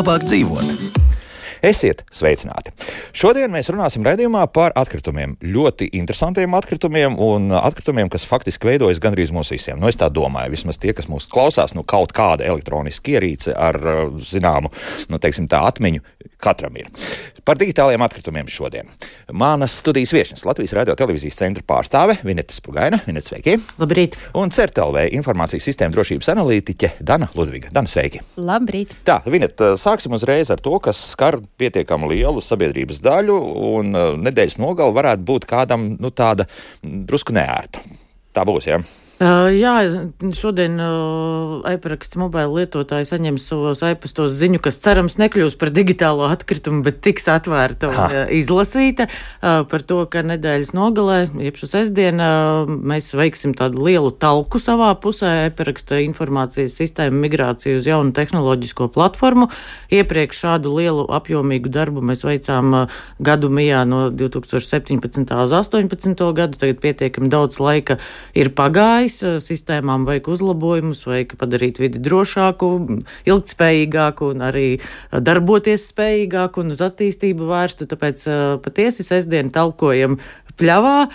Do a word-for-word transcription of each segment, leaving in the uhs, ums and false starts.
labāk dzīvot. Esiet sveicināti! Šodien mēs runāsim raidījumā par atkritumiem. Ļoti interesantiem atkritumiem un atkritumiem, kas faktiski veidojas gandrīz mūs visiem. Nu, es tā domāju, vismaz tie, kas mūs klausās, nu, kaut kāda elektroniska ierīce ar, zināmu, nu, teiksim tā, atmiņu katram ir. Par digitāliem atkritumiem šodien. Manas studijas viešņas Latvijas Radio televīzijas centra pārstāve Vineta Spugaina. Vineta, sveiki! Labrīt! Un C E R T L V informācijas sistēma drošības analītiķe Dana Ludviga. Dana, sveiki! Labrīt! Tā, Vineta, sāksim uzreiz ar to, kas skar pietiekami lielu sabiedrības daļu, un uh, nedēļas nogala varētu būt kādam, nu, tāda drusku neērta. Tā būs, jā? Ja? Uh, jā, šodien uh, e-paraksts mobila lietotāji saņems savos e-pastos ziņu, kas cerams nekļūs par digitālo atkritumu, bet tiks atvērta un uh, izlasīta uh, par to, ka nedēļas nogalē, jeb šo sestdienu, uh, mēs veiksim tādu lielu talku savā pusē, e-paraksta informācijas sistēmu migrāciju uz jaunu tehnoloģisko platformu. Iepriekš šādu lielu apjomīgu darbu mēs veicām uh, gadu mijā no divi tūkstoši septiņpadsmitā uz astoņpadsmito gadu, tagad pietiekami daudz laika ir pagājis. Sistēmām vajag uzlabojumus, vajag padarīt vidi drošāku, ilgtspējīgāku un arī darboties spējīgāku un uz attīstību vērstu. Tāpēc patiesi sestdien talkojam pļavā,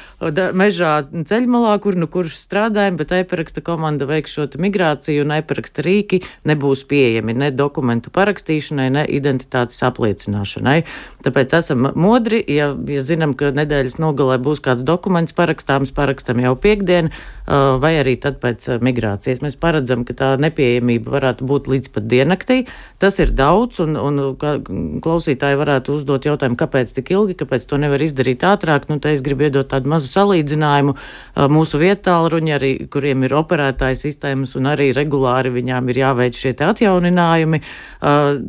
mežā, ceļmalā, kur nu kurš strādājam, bet e-paraksta komanda veiks šo migrāciju un e-paraksta rīki nebūs pieejami ne dokumentu parakstīšanai, ne identitātes apliecināšanai. Tāpēc esam modri, ja, ja zinām, ka nedēļas nogalē būs kāds dokuments parakstāms, parakstam jau piekdien, vai arī tad pēc migrācijas. Mēs paredzam, ka tā nepieejamība varētu būt līdz pat diennaktī. Tas ir daudz, un, un klausītāji varētu uzdot jautājumu, kāpēc tik ilgi, kāpēc to nevar izdarīt ātrāk. Nu, te es gribu iedot tādu mazu salīdzinājumu. Mūsu viettālruņi, arī, kuriem ir operētāja sistēmas, un arī regulāri viņām ir jāveic šie te atjauninājumi.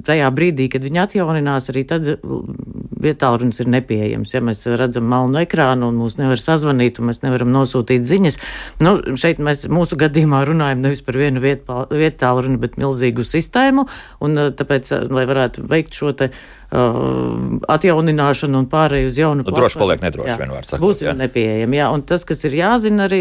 Tajā brīdī, kad viņi atjauninās, arī tad viettālrunis ir nepieejams. Ja mēs redzam melnu ekrānu un mūs nevar sazvanīt, un mēs nevaram nosūtīt ziņas. Nu, šeit mēs mūsu gadījumā runājam nevis par vienu viettālruni, bet milzīgu sistēmu, un tāpēc, lai varētu veikt šo te Uh, atjaunināšanu un pārēju uz jaunu platformu. Droši paliek nedroši, vienmēr sakot. Būsim nepieejami, jā. Un tas, kas ir jāzina arī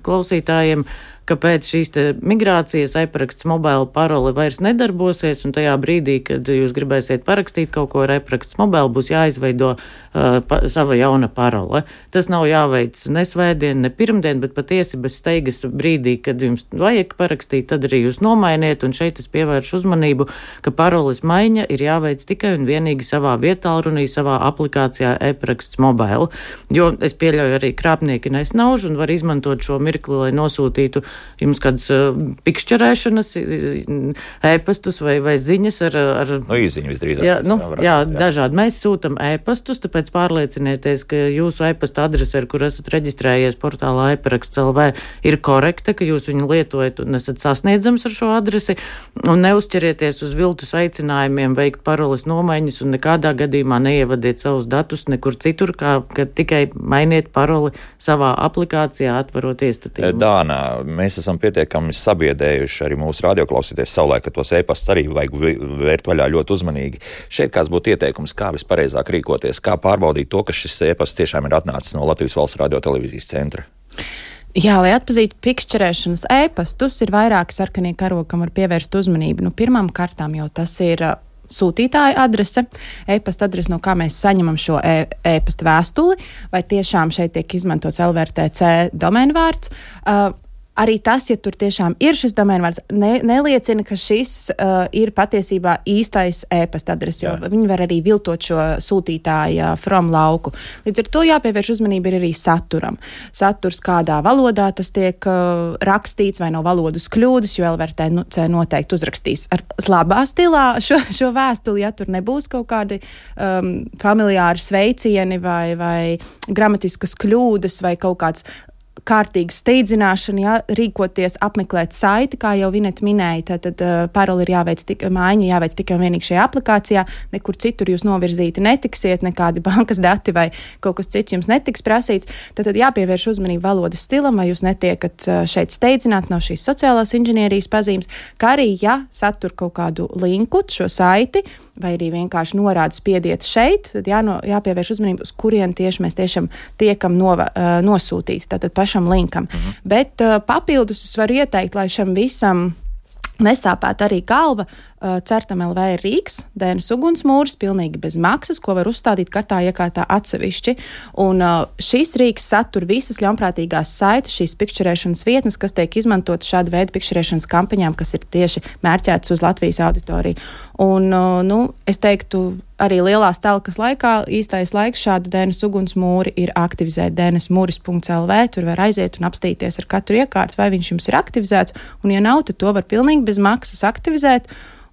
klausītājiem, ka pēc šīs te migrācijas e-paraksts mobila parole vairs nedarbosies, un tajā brīdī, kad jūs gribēsiet parakstīt kaut ko ar e-paraksts mobila, būs jāizveido uh, pa, sava jauna parole. Tas nav jāveic ne svētdien, ne pirmdien, bet patiesi bez steigas brīdī, kad jums vajag parakstīt, tad arī jūs nomainiet, un šeit es pievēršu uzmanību, ka paroles maiņa ir jāveic tikai un vienīgi savā viettālrunī, savā aplikācijā e-paraksts mobila, jo es pieļauju arī krāpnieki nesnauž un var izmantot šo mirkli, lai nosūtītu jums kādas uh, pikšķerēšanas, e-pastus vai, vai ziņas ar... ar no īziņu visdrīzāk. Jā, nu, varētu, jā, jā, dažādi. Mēs sūtam e-pastus, tāpēc pārliecinieties, ka jūsu e-pasta adrese, ar kur esat reģistrējies portālā e-paraksts L V, ir korekta, ka jūs viņu lietojat un esat sasniedzams ar šo adresi, un neuzķerieties uz viltus aicinājumiem veikt paroles nomaiņas un nekādā gadījumā neievadiet savus datus nekur citur, kā kad tikai mainiet paroli savā aplikācijā, atverot iestatījumu. Dāna, mēs esam pietiekami sabiedējuši arī mūsu radioklausīties savulaik, ka tos e-pastus arī vajag vērt vaļā ļoti uzmanīgi. Šeit kāds būtu ieteikums, kā vispareizāk rīkoties, kā pārbaudīt to, ka šis e-pasts tiešām ir atnācis no Latvijas Valsts Radio televīzijas centra? Jā, lai atpazītu pikšķerēšanas e-pastus, ir vairāki sarkanie karogi, kam var pievērst uzmanību. Nu, pirmām kārtām jau tas ir sūtītāja adrese, e-pasta adrese, no kā mēs saņemam šo e- e-pasta vēstuli, vai tiešām šeit tiek izmantots L V R T C domēnvārds. Uh, Arī tas, ja tur tiešām ir šis domēnvārds, ne, neliecina, ka šis uh, ir patiesībā īstais e-pasta adrese, jo viņi var arī viltot šo sūtītāja from lauku. Līdz ar to jāpievērš uzmanība ir arī saturam. Saturs, kādā valodā tas tiek uh, rakstīts, vai nav valodas kļūdas, jo L V R T C noteikti uzrakstīs ar labā stilā šo, šo vēstuli, ja tur nebūs kaut kādi um, familiāri sveicieni vai, vai gramatiskas kļūdas vai kaut kāds kārtīga steidzināšana, jā, rīkoties, apmeklēt saiti, kā jau Vineta minēja, tad, tad uh, paroli ir jāveic tik, maiņa jāveic tikai un vienīgi šajā aplikācijā, nekur citur jūs novirzīti netiksiet, nekādi bankas dati vai kaut kas cits jums netiks prasīts, tad, tad jāpievērš uzmanību valodas stilam, vai jūs netiekat uh, šeit steidzināts, nav šīs sociālās inženierijas pazīmes, kā arī, ja satur kaut kādu linku, šo saiti, vai arī vienkārši norāda spiediet šeit, tad jāno, jāpievērš uzmanību, uz kurien tieši mēs tiešām tiekam nova, uh, nosūtīti, tātad pašam linkam. Mhm. Bet uh, papildus es varu ieteikt, lai šam visam nesāpētu arī galva, Certam L V ir rīks, D N S ugunsmūris, pilnīgi bez maksas, ko var uzstādīt katrā iekārtā atsevišķi. Un šīs rīks satur visas ļaunprātīgās saites, šīs pikšķerēšanas vietnes, kas tiek izmantotas šāda veida pikšķerēšanas kampaņām, kas ir tieši mērķētas uz Latvijas auditoriju. Un, nu, es teiktu, arī lielās telkas laikā īstais laiks šādu D N S ugunsmūri ir aktivizēt d n s mūris punkts l v, tur var aiziet un apstīties ar katru iekārtu, vai viņš jums ir aktivizēts, un ja nav, tad to var pilnīgi bez maksas aktivizēt.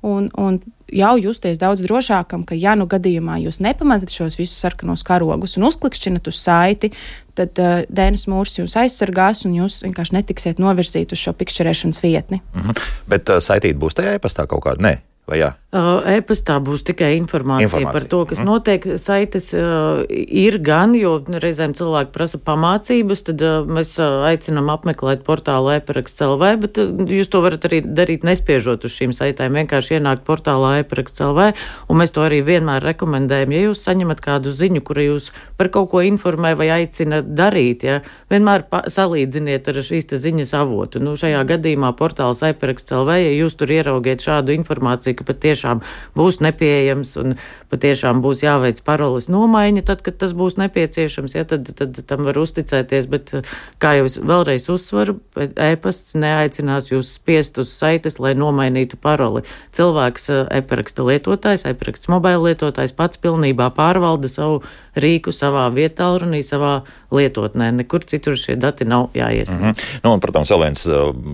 Un, un jau justies daudz drošākam, ka ja nu gadījumā jūs nepamatat šos visus sarkanos karogus un uzklikšķinat uz saiti, tad uh, D N S mūrs jūs aizsargās un jūs vienkārši netiksiet novirzīt uz šo pikšķerēšanas vietni. Mhm. Bet uh, saitīt būs tajā e-pastā kaut kāda? Nē. Vai jā? Uh, e-pastā būs tikai informācija, informācija par to, kas mm. notiek. Saites uh, ir gan, jo reizēm cilvēki prasa pamācības, tad uh, mēs uh, aicinām apmeklēt portālu e-paraksts L V, bet uh, jūs to varat arī darīt nespiežot uz šīm saitēm, vienkārši ienākt portālā e-paraksts L V, un mēs to arī vienmēr rekomendējam. Ja jūs saņemat kādu ziņu, kura jūs par kaut ko informē vai aicina darīt, ja, vienmēr pa- salīdziniet ar šīs te ziņas avotu. Nu, šajā gadījumā portāls e-paraksts L V, ja jūs tur ieraugiet šādu informāciju, ka patiešām būs nepieejams un patiešām būs jāveic paroles nomaiņa, tad, kad tas būs nepieciešams, ja, tad, tad tam var uzticēties, bet, kā jau es vēlreiz uzsvaru, e-pasts neaicinās jūs spiest uz saites, lai nomainītu paroli. Cilvēks, e-paraksta lietotājs, e-paraksts mobila lietotājs pats pilnībā pārvalda savu rīku savā vietālrunī, savā lietotnē. Nekur citur šie dati nav jāiesniedz. Mm-hmm. Nu, un, protams, vēl viens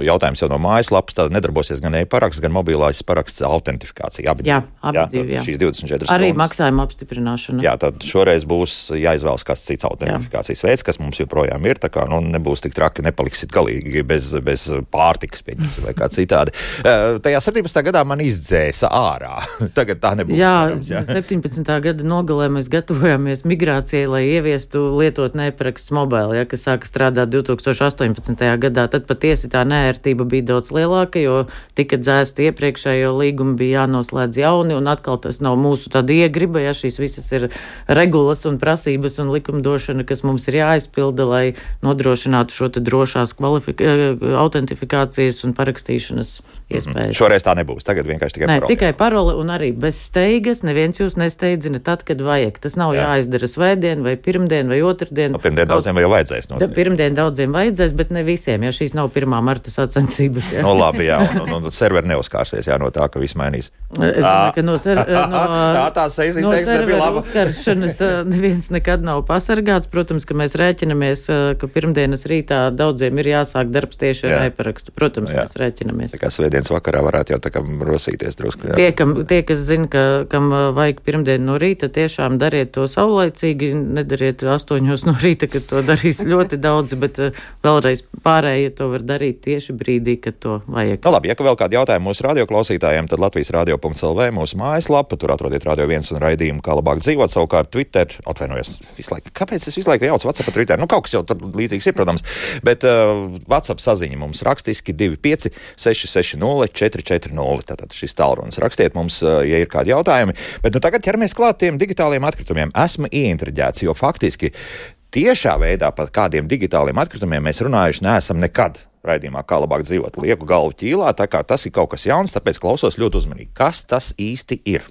jautājums jau no mājaslapas, tad nedarbosies gan e-paraksts, gan mobilais paraksts autentifikācija. Abi jā, abi jā, divi, jā. Šīs divdesmit četras arī stundas. Maksājuma apstiprināšana. Jā, tad šoreiz būs jāizvēlas kāds cits autentifikācijas jā. veids, kas mums joprojām ir, tā kā, nu, nebūs tik traki, nepaliksit galīgi bez, bez pārtikas, pieņemsim, vai kā citādi. Tajā septiņpadsmitā gadā man izdzēsa ārā. Tagad tā nebūs. Jā, varams, jā. septiņpadsmitā gada nogalē mēs gatavojāmies migrācijai, lai ieviestu lietotnē e-paraksts mobili, ja, kas sāka strādāt divi tūkstoši astoņpadsmitajā gadā. Tad patiesi tā neērtība bija daudz lielāka, jo tika dzēsti iepriekšējo līgumu, bija jānoslēdz jauni, un atkal tas nav mūsu tāda iegriba, ja šīs visas ir regulas un prasības un likumdošana, kas mums ir jāizpilda, lai nodrošinātu šo te drošās kvalifika- autentifikācijas un parakstīšanas iespējas. Mm-hmm. Šoreiz tā nebūs, tagad vienkārši tikai Nē, parole. tikai parole un arī bez steigas, neviens jūs nesteidzina tad, kad vajag. Tas nav Jā. jāizdara svētdien vai pirmdien vai otrdien. No, pirmdien daudziem jau vajadzēs. Da, pirmdien daudziem vajadzēs, bet ne visiem, ja šīs nav pirmā marta sacensības. Ja. No labi, jā, un, un, un serveri neuzkārsies, jā, no tā, ka viss mainīs. Es domāju, ka no, ser, no, tā, tā sejas no izteiksme nebija serveru laba. uzkaršanas neviens nekad nav pasargāts. Protams, ka mēs rēķinamies, ka pirmdienas rītā daudziem ir jāsāk darbs tieši ar e-parakstu. Protams, jā. mēs rēķinamies. Tā kā svētdienas vakarā varētu jau tā kā rosīties drusku. Tie, kam, tie, kas zina, ka, kam vajag pirmdienu no rīta, tiešām dariet to saulaicīgi, nedariet astoņos no rīta, kad to darīs ļoti daudz, bet vēlreiz pārējie to var darīt tieši brīdī, kad to vajag. Nu labi, ja ka vēl kādi jautājumi mūsu radioklausītājiem, tad Latvijas radio punkts l v mūsu mājaslapa, tur atrodiet Radio viens un raidījumu, kā labāk dzīvot, savukārt Twitter, atvainojos, visu laiku, kāpēc es visu laiku jaucu WhatsApp pa Twitter? Nu, kaut kas jau tur līdzīgs ir, protams, bet uh, WhatsApp saziņa mums rakstiski divi pieci seši seši nulle četri četri nulle, tātad šis tālrunis rakstiet mums, uh, ja ir kādi jautājumi, bet nu tagad ķeramies klāt tiem digitāliem atkritumiem. Esmu ieintriģēts, jo faktiski tiešā veidā par kādiem digitāliem atkritumiem mēs runājuši neesam nekad raidījumā, kā labāk dzīvot. Lieku galvu ķīlā, tā kā tas ir kaut kas jauns, tāpēc klausos ļoti uzmanīgi. Kas tas īsti ir?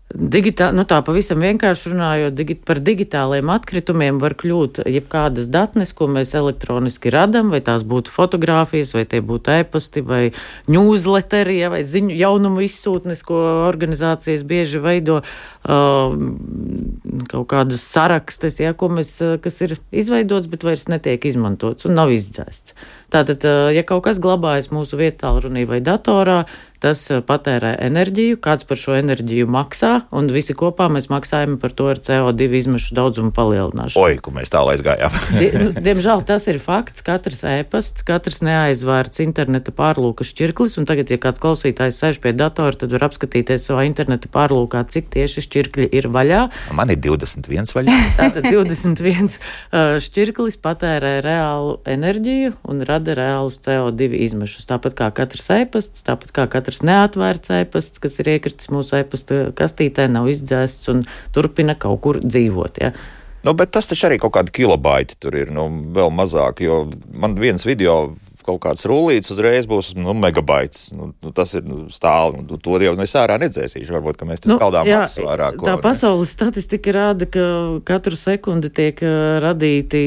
Digitā, nu tā pavisam vienkārši runājot, digi, par digitāliem atkritumiem var kļūt jebkādas datnes, ko mēs elektroniski radam, vai tās būtu fotogrāfijas, vai tie būtu e-pasti, vai newsletteri, ja, vai ziņu jaunumu izsūtnes, ko organizācijas bieži veido, uh, kaut kādas sarakstes, ja, ko mēs, kas ir izveidots, bet vairs netiek izmantots un nav izdzēsts. Tātad, uh, ja kaut kas glabājas mūsu vietālrunī vai datorā, tas patērē enerģiju, kāds par šo enerģiju maksā, un visi kopā mēs maksājam par to ar C O divi izmešu daudzumu palielināšanu. Oi, ku mēs tālu aizgājām. Die, nu, diemžēl tas ir fakts, katrs e-pasts, katrs neaizvērts interneta pārlūka šķirklis, un tagad, ja kāds klausītājs sēž pie datora, tad var apskatīties savā interneta pārlūkā, cik tieši šķirkļi ir vaļā. Man ir divdesmit viens vaļā. Tātad divdesmit viens šķirklis patērē reālu enerģiju un rada reālus C O divi izmešus. Tāpat kā katrs e-pasts, tāpat kā katrs neatvērts e-pasts, kas ir iekritis mūsu e-pasta kastītē, nav izdzēsts un turpina kaut kur dzīvot. Ja? Nu, bet tas taču arī kaut kādi kilobaiti tur ir, nu, vēl mazāk, jo man viens video kaut kāds rullīts uzreiz būs nu, megabaits. Nu, nu, tas ir nu, stāli, nu, to jau es ārā nedzēsīšu. Varbūt, ka mēs tas nu, kaldām maksas vairāk. Tā pasaules statistika rāda, ka katru sekundi tiek radīti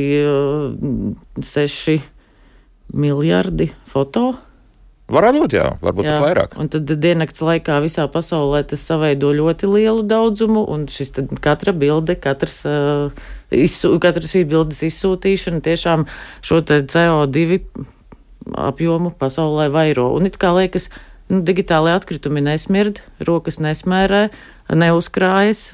seši miljardi foto. Varētu būt, jā, varbūt jā, vairāk. Un tad diennakts laikā visā pasaulē tas saveido ļoti lielu daudzumu, un šis tad katra bilde, katrs, uh, izsū, katra šī bildes izsūtīšana tiešām šo te C O divi apjomu pasaulē vairo. Un it kā liekas, nu, digitālai atkritumi nesmird, rokas nesmērē, neuzkrājas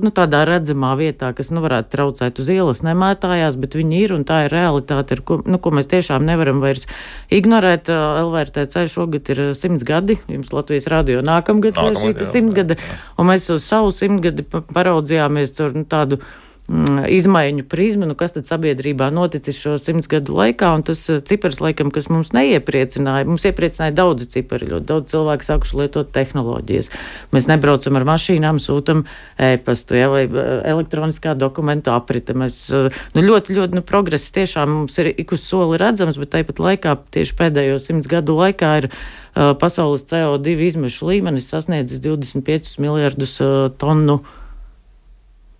nu, tādā redzamā vietā, kas nu, varētu traucēt uz ielas, nemētājās, bet viņi ir un tā ir realitāte, ar ko, nu, ko mēs tiešām nevaram vairs ignorēt. L V R T C šogad ir simts gadi, jums Latvijas radio nākamgad ir šī simtgade, un mēs uz savu simtgadi paraudzījāmies ar nu, tādu izmaiņu prizmu, nu kas tad sabiedrībā noticis šo simts gadu laikā, un tas cipars, laikam, kas mums neiepriecināja, mums iepriecināja daudzi cipari, ļoti daudz cilvēku sākuši lietot tehnoloģijas. Mēs nebraucam ar mašīnām, sūtam e-pastu, ja, vai elektroniskā dokumentu aprite. Mēs, nu, ļoti, ļoti, nu, progress tiešām mums ir ik uz soli redzams, bet tāpat laikā, tieši pēdējo simts gadu laikā ir uh, pasaules C O divi izmešu līmenis sasniedzis divdesmit piecus miljardus uh, tonu.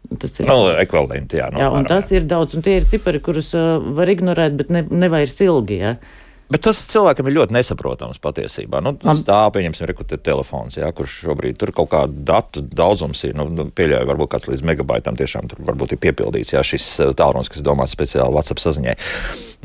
Tas ir no, ekvivalenti, jā. No, jā, un tas ir daudz, un tie ir cipari, kurus uh, var ignorēt, bet ne, nevairs ilgi, jā. Bet tas cilvēkam ir ļoti nesaprotams patiesībā. Nu, tas tā, pieņemsim, rekrutēt telefons, jā, kurš šobrīd tur kaut kādu datu daudzums ir, nu, pieļauju, varbūt kāds līdz megabaitam tiešām tur varbūt ir piepildīts, jā, šis tālrunis, kas domāts speciāli WhatsApp saziņai.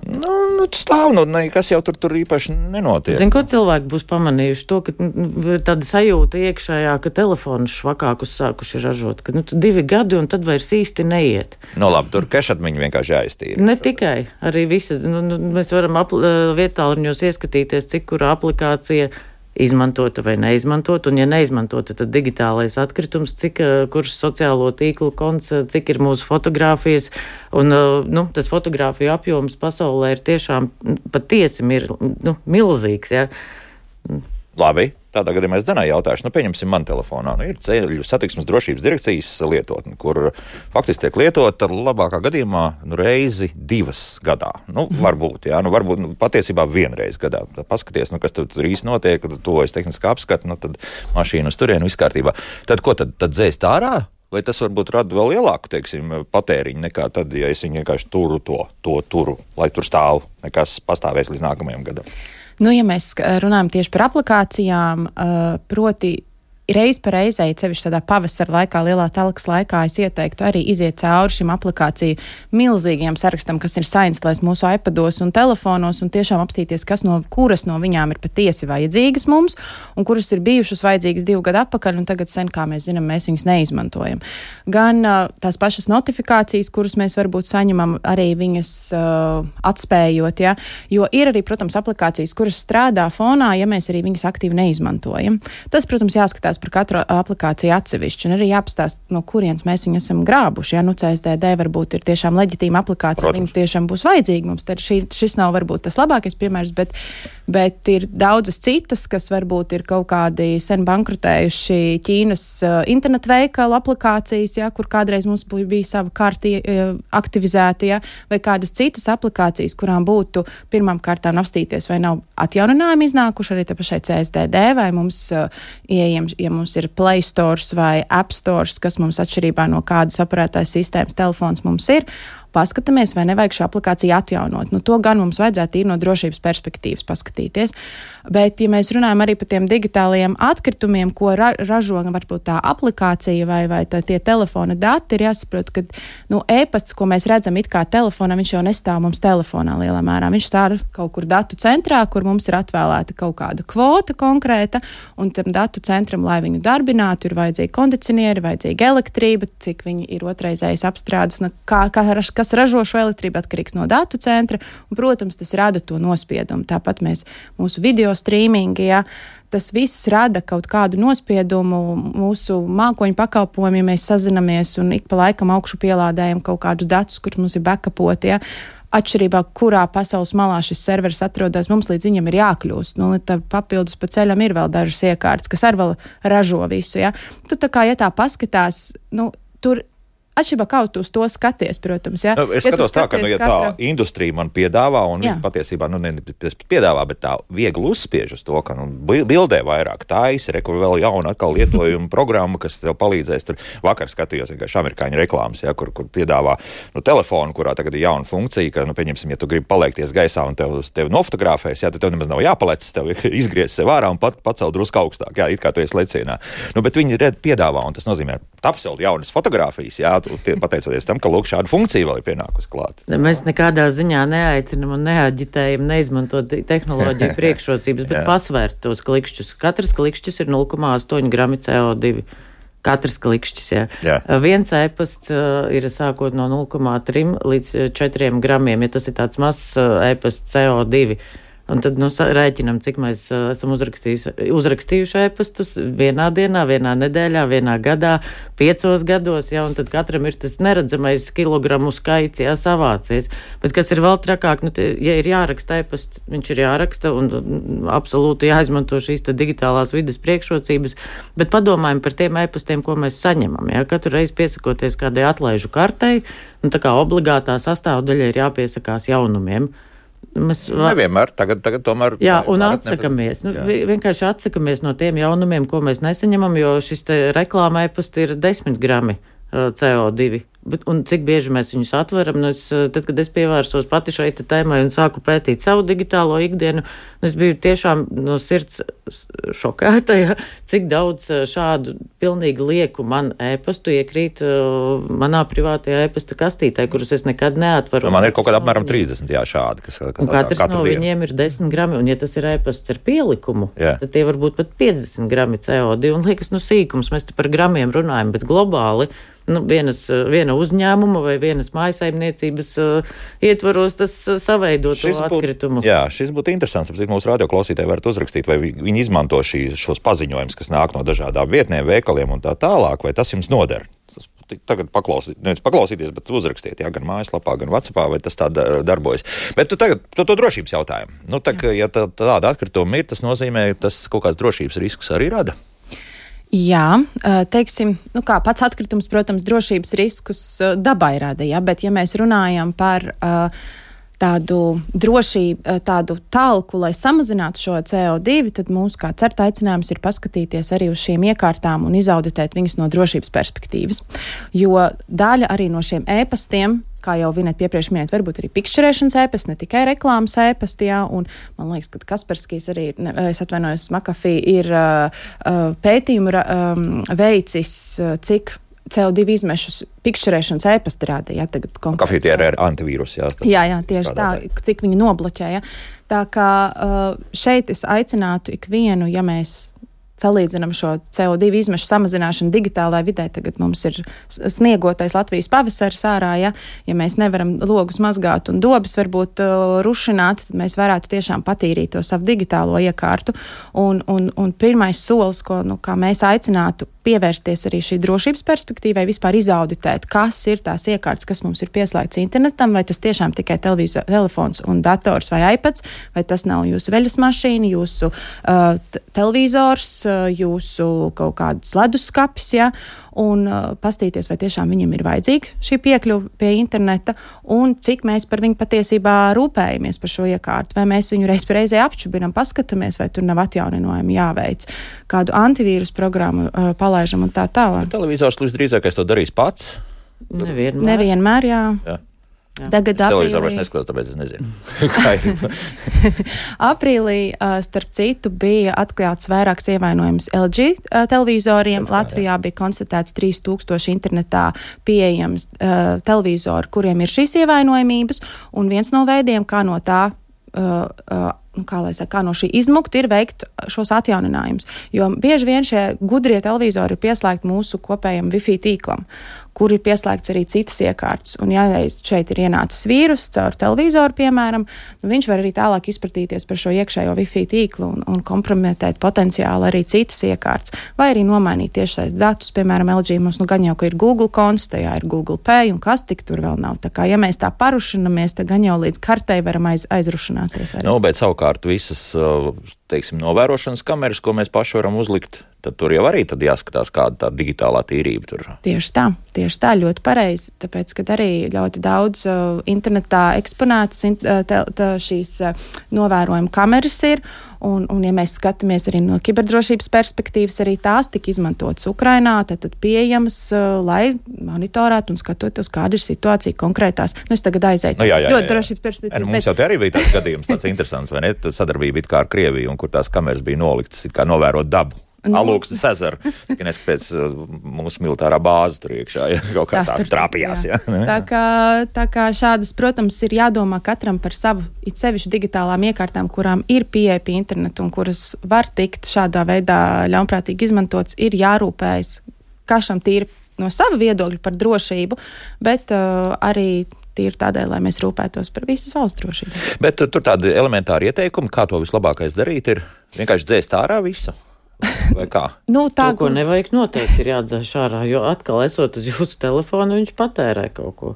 Nu, nu stāv, nu, nekas jau tur, tur īpaši nenotiek. Zin, ko cilvēki būs pamanījuši? To, ka nu, tāda sajūta iekšējā, ka telefonus švakākus sākuši ražot, ka nu, divi gadi un tad vairs īsti neiet. Nu, labi, tur kešatmiņi vienkārši jāiztīra. Ne tikai, arī visi, nu, nu, mēs varam apl- vietāluņos ieskatīties, cik kura aplikācija izmantota vai neizmantota, un ja neizmantota, tad digitālais atkritums, cik, kurš sociālo tīklu konts, cik ir mūsu fotogrāfijas, un, nu, tas fotogrāfiju apjoms pasaulē ir tiešām patiesi mir, nu, milzīgs, jā. Labi, tādā gadījumā es Danai jautāšu, nu, pieņemsim man telefonā, nu, ir ceļu satiksmes drošības direkcijas lietotne, kur faktiski tiek lietota labākā gadījumā, nu, reizi divas gadā. Nu, varbūt, jā, nu, varbūt, nu, patiesībā vienreiz gadā. Paskaties, nu, kas tur, tur īsti notiek, tad to es tehniski apskatu, nu, tad mašīnu uz turienu, viss kārtībā. Tad ko, tad, tad dzēst ārā? Vai tas varbūt rada vēl lielāku, teiksim, patēriņu nekā tad, ja es viņu vienkārši turu to, to turu, lai tur stāv, nekas pastāvēs līdz nākamajam gadam? Nu, ja mēs runājam tieši par aplikācijām, proti reiz pa reizei, sevišķi tādā pavasara laikā, lielā telkas laikā, es ieteiktu arī iziet cauri šim aplikāciju milzīgiem sarakstam, kas ir sainstlēs mūsu iPados un telefonos, un tiešām apstīties, kas no, kuras no viņām ir patiesi vajadzīgas mums, un kuras ir bijušas vajadzīgas divu gadu atpakaļ, un tagad sen, kā mēs zinām, mēs viņus neizmantojam. Gan uh, tās pašas notifikācijas, kuras mēs varbūt saņemam, arī viņas uh, atspējot, ja? Jo ir arī, protams, aplikācijas, kuras strādā fonā, ja mēs arī viņas aktīvi neizmantojam. Tas, protams, jāskatās par katru aplikāciju atsevišķi, un arī jāpastāst, no kurienes mēs viņu esam grābuši. Ja? Nu, C S D D varbūt ir tiešām leģitīma aplikācija, viņa tiešām būs vajadzīga mums. Tad šī, šis nav varbūt tas labākais piemērs, bet, bet ir daudzas citas, kas varbūt ir kaut kādi sen bankrutējuši Ķīnas uh, internetu veikalu aplikācijas, ja? Kur kādreiz mums bija sava karti uh, aktivizēta, ja? Vai kādas citas aplikācijas, kurām būtu pirmām kārtām apstīties, vai nav atjauninājumi iznākuši arī te pašai C S D D, vai mums uh, ieejam, ja mums ir Play Stores vai App Stores, kas mums atšķirībā no kādas operētājas sistēmas telefons mums ir, paskatāmies, vai nevajag šo aplikāciju atjaunot. Nu, to gan mums vajadzētu ir no drošības perspektīvas paskatīties. Bet, ja mēs runājam arī par tiem digitālajiem atkritumiem, ko ra ražo varbūt tā aplikācija vai, vai tā, tie telefona dati, ir jāsaprot, ka nu, e-pasts, ko mēs redzam it kā telefonā, viņš jau nestāv mums telefonā lielā mērā. Viņš stāv kaut kur datu centrā, kur mums ir atvēlēta kaut kāda kvota konkrēta, un tam datu centram, lai viņu darbinātu, ir vajadzīga kondicionieri, vajadzīga elektrība, cik viņi ir otraizējas apstrādes, nu, kā, kā, kas ražo šo elektrību atkarīgs no datu centra, un, protams, tas rada to nospiedumu. Tāpat mēs mūsu video streamingi, ja, tas viss rada kaut kādu nospiedumu mūsu mākoņu pakalpojumu, ja mēs sazinamies un ik pa laikam augšu pielādējam kaut kādus datus, kurus mums ir backupoti, ja. Atšķirībā, kurā pasaules malā šis serveris atrodas, mums līdz viņam ir jākļūst. Nu, tad papildus pa ceļam ir vēl dažas iekārtas, kas arī vēl ražo visu, ja. Tu tā kā, ja tā paskatās, nu, tur Atšķirībā kā uz to skaties, protams. Ja? Nu, es ja skatos tā, ka nu, ja katra... tā industrija man piedāvā, un viņi patiesībā nu, ne piedāvā, bet tā viegli uzspiež uz to, ka nu, bildē vairāk taisa, re, kur vēl jauna atkal lietojuma programma, kas tev palīdzēs. Tur vakar skatījos vienkārši amerikāņu reklāmas, ja, kur, kur piedāvā nu, telefonu, kurā tagad ir jauna funkcija, ka, nu, pieņemsim, ja tu gribi paliekties gaisā un tev, tev nofotografēs, ja, tad tev nemaz nav jāpalec, tev izgriez sev ārā un pat, pacel drusku augstāk, jā, it kā tu esi lecienā. Nu, bet viņi red piedāvā, un tas nozīmē tapseld jaunas fotogrāfijas, jā, pateicoties tam, ka lūk, šāda funkcija vēl ir pienākusi klāt. Mēs nekādā ziņā neaicinam un neaģitējam neizmantot tehnoloģiju priekšrocības, bet pasvērt tos klikšķus. Katrs klikšķis ir nulle komats astoņi grami C O divi. Katrs klikšķis, jā. jā. Viens e-pasts uh, ir sākot no nulle komats trīs līdz četriem gramiem, ja tas ir tāds mazs uh, e-pasts C O divi. Un tad nu, rēķinam, cik mēs uh, esam uzrakstījuši, uzrakstījuši e-pastus vienā dienā, vienā nedēļā, vienā gadā, piecos gados, ja, un tad katram ir tas neredzamais kilogramu skaits, jā, savācies. Bet kas ir vēl trakāk, nu, te, ja ir jāraksta e-pasts, viņš ir jāraksta un, un absolūti jāizmanto šīs te digitālās vides priekšrocības, bet padomājam par tiem e-pastiem, ko mēs saņemam, ja, katru reizi piesakoties kādai atlaižu kartei, un tā kā obligātā sastāvdaļa ir jāpiesakās jaunumiem. Mēs var... Nevienmēr, tagad, tagad tomēr... Jā, un atsakamies. Nu, vienkārši atsakamies no tiem jaunumiem, ko mēs nesaņemam, jo šis te reklāma e-pasti ir desmit grami uh, C O divi. Bet, un cik bieži mēs viņus atveram, nu es, tad, kad es pievērsos pati šai tēmai un sāku pētīt savu digitālo ikdienu, nu es biju tiešām no sirds šokēta, ja, cik daudz šādu pilnīgi lieku man e-pastu iekrīt uh, manā privātajā e-pasta kastītē, kurus es nekad neatvaru. Man ir kaut kādā apmēram trīsdesmit, jā, šādi. Kas, kas un katrs no dienu. Viņiem ir desmit grami, un ja tas ir e-pasts ar pielikumu, jā. Tad tie var būt pat piecdesmit grami C O divi, un liekas, nu sīkums, mēs te par gramiem runājam, bet globāli, nu, vienas, viena uzņēmuma vai vienas mājasaimniecības uh, ietvaros tas uh, saveido to atkritumu. Būt, jā, šis būtu interesants, apzīt mūsu radioklausītāji varat uzrakstīt, vai viņi izmanto šī, šos paziņojumus, kas nāk no dažādām vietnēm, veikaliem un tā tālāk, vai tas jums noder. Tas, tagad paklausīt, nevis paklausīties, bet uzrakstiet, jā, gan mājaslapā, gan WhatsAppā, vai tas tā darbojas. Bet tu tagad, tu to drošības jautājumu. Nu, tā, ja tā, tāda atkrituma ir, tas nozīmē, tas kaut kāds drošības riskus arī rada. Jā, teiksim, nu kā pats atkritums, protams, drošības riskus dabai rada, ja, bet ja mēs runājam par uh, tādu drošību, tādu talku, lai samazinātu šo C O divi, tad mūsu kā certa aicinājums ir paskatīties arī uz šīm iekārtām un izauditēt viņus no drošības perspektīvas. Jo daļa arī no šiem e-pastiem, kā jau Vineta piepriekš minēt, varbūt arī pikšķerēšanas e-pasti, ne tikai reklāmas e-pasti, jā, un man liekas, ka Kasperskijs arī, ne, es atvainojos, McAfee ir uh, pētījumu um, veicis, cik C O divi izmešus pikšķerēšanas e-pasti rāda, jā, tagad konkrēts. McAfee tie ir antivīrus, jā. Jā, jā, tieši tā, cik viņi nobloķē, jā. Tā kā uh, šeit es aicinātu ikvienu, ja mēs salīdzinām šo C O divi izmešu samazināšanu digitālajā vidē, tagad mums ir sniegotais Latvijas pavasaris ārā, ja, ja mēs nevaram logus mazgāt un dobas varbūt uh, rušināt, tad mēs varētu tiešām patīrīt to savu digitālo iekārtu. Un, un, un pirmais solis, ko, nu, kā mēs aicinātu pievērsties arī šī drošības perspektīvai, vispār izauditēt, kas ir tās iekārtas, kas mums ir pieslēgts internetam, vai tas tiešām tikai televizor, telefons un dators vai iPads, vai tas nav jūsu veļas mašīna, jūsu uh, t- televizors, uh, jūsu kaut kāds leduskapis, ja, un uh, pastīties, vai tiešām viņam ir vajadzīga šī piekļuva pie interneta, un cik mēs par viņu patiesībā rūpējamies par šo iekārtu, vai mēs viņu reiz par reizē apšubinam, paskatāmies, vai tur nav atjauninājumi jāveic, kādu antivīrus programmu uh, palaižam un tā tālāk. Televizors līdz drīzākais to darīs pats? Nevienmēr. Nevienmēr, jā. jā. Jā. Tagad televizoru vairs neskatās, tāpēc es nezinu. Kā ir? Aprīlī, starp citu, bija atklāts vairāks ievainojums L G televizoriem. Latvijā bija konstatēts trīs tūkstoši internetā pieejams uh, televizoru, kuriem ir šīs ievainojumības, un viens no veidiem, kā no tā uh, uh, kā lai saka, kā no šī izmukta ir veikt šos atjauninājumus. Jo bieži vien šie gudrie televizori ir pieslēgti mūsu kopējam Wi-Fi tīklam, kur ir pieslēgts arī citas iekārtas. Un ja šeit ir ienācis vīrus caur televizoru, piemēram, nu viņš var arī tālāk izpratīties par šo iekšējo Wi-Fi tīklu un, un kompromitēt potenciāli arī citas iekārtas. Vai arī nomainīt tiešsaistes datus, piemēram, L G mums nu gan jau, ka ir Google konts, tajā ir Google Pay un kas tik tur vēl nav. Tā kā, ja mēs tā parušinamies, tad gan jau līdz kartei varam aiz, aizrušināties arī. Nu, bet savukārt visas teiksim, novērošanas kameras, ko mēs paši varam uzlikt, tad tur jau arī tad jāskatās, kāda tā digitālā tīrība tur. Tieši tā, tieši tā, ļoti pareizi. Tāpēc, kad arī ļoti daudz uh, internetā eksponētas in, uh, tā, tā šīs uh, novērojuma kameras ir, un, un ja mēs skatāmies arī no kiberdrošības perspektīvas, arī tās tika izmantotas Ukrainā, tad, tad pieejamas, uh, lai monitorētu un skatotos, kāda ir situācija konkrētās. Nu, es tagad aizēju. Nu, jā, jā, jā, ļoti jā. drošības perspektīvas. E, nu, mums bet... jau te arī bija tāds gadījums, tāds interesants, vai ne? Sadarbība it kā ar Krieviju, un kur tās kameras bija noliktas, it kā novērot dabu. Nu, Alūksnes ezeru, tikai neskapēc uh, mūsu militārā bāze tur iekšā, ja kaut kā tā trāpījās. Ja. Tā, kā, tā kā šādas, protams, ir jādomā katram par savu, it sevišķi digitālām iekārtām, kurām ir pieeja pie internetu un kuras var tikt šādā veidā ļaunprātīgi izmantots, ir jārūpējas kašam tīri no sava viedokļa par drošību, bet uh, arī tīri tādēļ, lai mēs rūpētos par visas valsts drošību. Bet uh, tur tādi elementāri ieteikumi, kā to vislabākais darīt, ir vienkārši dzēst ārā visu. Vai kā? Nu, tā, to, ko nevajag noteikti ir jādzēš ārā, jo atkal esot uz jūsu telefonu, viņš patērē kaut ko.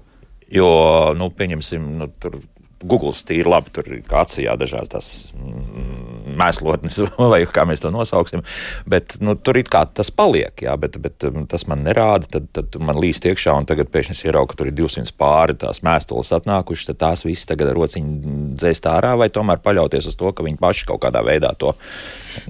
Jo, nu, pieņemsim, nu, tur Google tīri labi, tur kā acījā dažās tās mm, mēslotnes, vai kā mēs to nosauksim, bet, nu, tur it kā tas paliek, jā, bet, bet tas man nerāda, tad, tad man līst iekšā, un tagad pēkšņi es ieraugu, ka tur ir divsimt pāri tās mēstules atnākušas, tad tās visas tagad ar rociņu dzēst ārā, vai tomēr paļauties uz to, ka viņi paši kaut kādā veidā to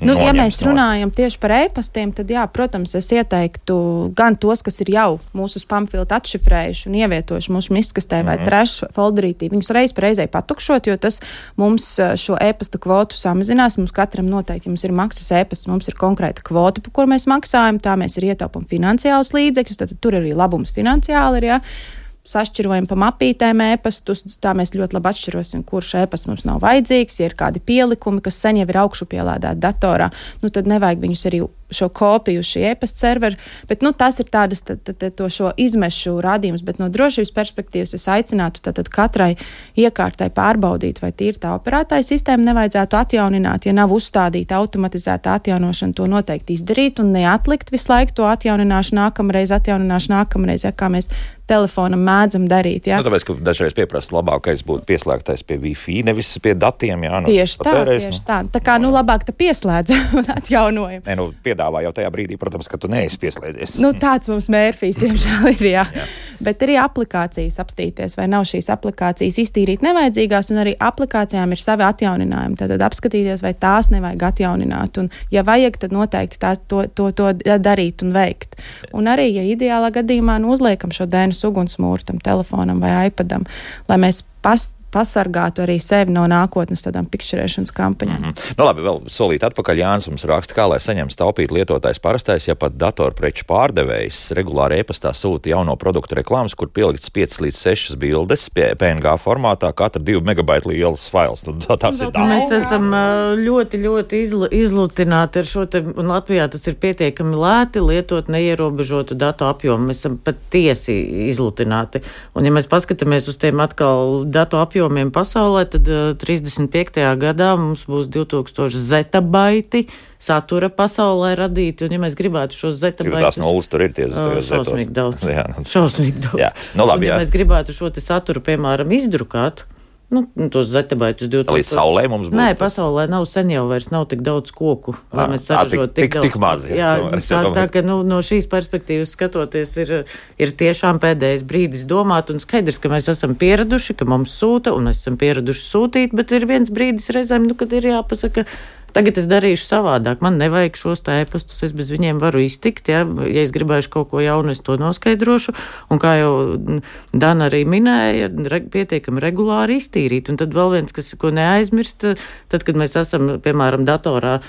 Nu, noņems, ja mēs runājam nost. tieši par e-pastiem, tad jā, protams, es ieteiktu gan tos, kas ir jau mūsu spamfiltru atšifrējuši un ievietojuši mūsu miskastē vai mm-hmm. trash folderītī, viņus reiz pa reizei patukšot, jo tas mums šo e-pasta kvotu samazinās. Mums katram noteikti, ja mums ir maksas e-pasts, mums ir konkrēta kvota, par kur mēs maksājam, tā mēs ir ietaupam finansiālus līdzekļus, tad tur arī labums finansiāli ir, jā. Sašķirojam pa mapītēm e-pastus, tā mēs ļoti labi atšķirosim, kurš e-pasts mums nav vajadzīgs, ja ir kādi pielikumi, kas sen jau ir augšu pielādēti datorā, nu tad nevajag viņus arī šo kopiju uz šī e-pasta servera, bet nu tas ir tādas tad, tad, tad, to šo izmešu rādījums, bet no drošības perspektīvas es aicinātu tad, tad katrai iekārtai pārbaudīt, vai tīri tā operētāja sistēma nevajadzētu atjaunināt, ja nav uzstādīta automatizēta atjaunošana, to noteikti izdarīt un neatlikt visu laiku to atjaunināšu nākamreiz, atjaunināšu nākamreiz, ja kā mēs telefonam mēdzam darīt. Ja? Nu, tāpēc, ka dažreiz pieprasa labākais būtu pieslēgtais pie Wi-Fi, nevis pie datiem. Jā, nu, tieši tā, tieši nu. tā. Tā kā, nu, labāk te pieslēdz un atjaunojam. Nē, nu, piedāvā jau tajā brīdī, protams, ka tu neesi pieslēdzies. Nu, tāds mums mērfijs, diemžēl, ir, jā. jā. Bet arī aplikācijas apstīties, vai nav šīs aplikācijas iztīrīt nevajadzīgās, un arī aplikācijām ir savi atjauninājumi. Tad apskatīties, vai tās nevajag atjaunināt. Un, ja vajag, tad noteikti tā, to, to, to darīt un veikt. Un arī, ja ideālā gadījumā nu, uzliekam šo D N S ugunsmūru tam telefonam vai iPadam, lai mēs pas, pasargātu arī sevi no nākotnes tādām pikšķerēšanas kampaņām. Mm-hmm. Nu labi, vēl solīt atpakaļ Jānis mums raksta, kā lai saņem taupīt lietotājs parastais, ja pat datorpreču pārdevējs regulāri e-pastā sūta jauno produktu reklāmas, kur pieliktas piecas līdz sešas bildes P N G formātā, katra divu megabaitu liels fails. Nu, tas ir daudz. Mēs esam ļoti, ļoti izl- izlutināti ar šo te, un Latvijā tas ir pietiekami lēti lietot neierobežotu datu apjomu. Mēs esam patiesi izlutināti. Un ja mēs paskatāmies uz tiem atkal datu apjomu, apjomiem pasaulē, tad uh, trīsdesmit piektajā gadā mums būs divtūkstoši zetabaiti satura pasaulē radīti, un ja mēs gribētu šos zetabaitus... Tās nulles tur ir tie uh, šausmīgi daudz. Jā, nu. Šausmīgi daudz. Jā. Nu, labi, un ja jā. mēs gribētu šo te saturu, piemēram, izdrukāt, nu, tos zetabaitus divtūkstoši... Līdz saulē mums būtu. Nē, pasaulē nav sen jau vairs nav tik daudz koku, lai à, mēs saražot tik, tik, tik, tik maz. Jā, jā tā, tā, ka nu, no šīs perspektīvas skatoties ir, ir tiešām pēdējais brīdis domāt, un skaidrs, ka mēs esam pieraduši, ka mums sūta, un mēs esam pieraduši sūtīt, bet ir viens brīdis reizēm, nu, kad ir jāpasaka, tagad es darīšu savādāk, man nevajag šos tā e-pastus, es bez viņiem varu iztikt, ja, ja es gribēšu kaut ko jaunu, es to noskaidrošu, un kā jau Dana arī minēja, re, pietiekami regulāri iztīrīt, un tad vēl viens, kas, ko neaizmirst, tad, kad mēs esam, piemēram, datorā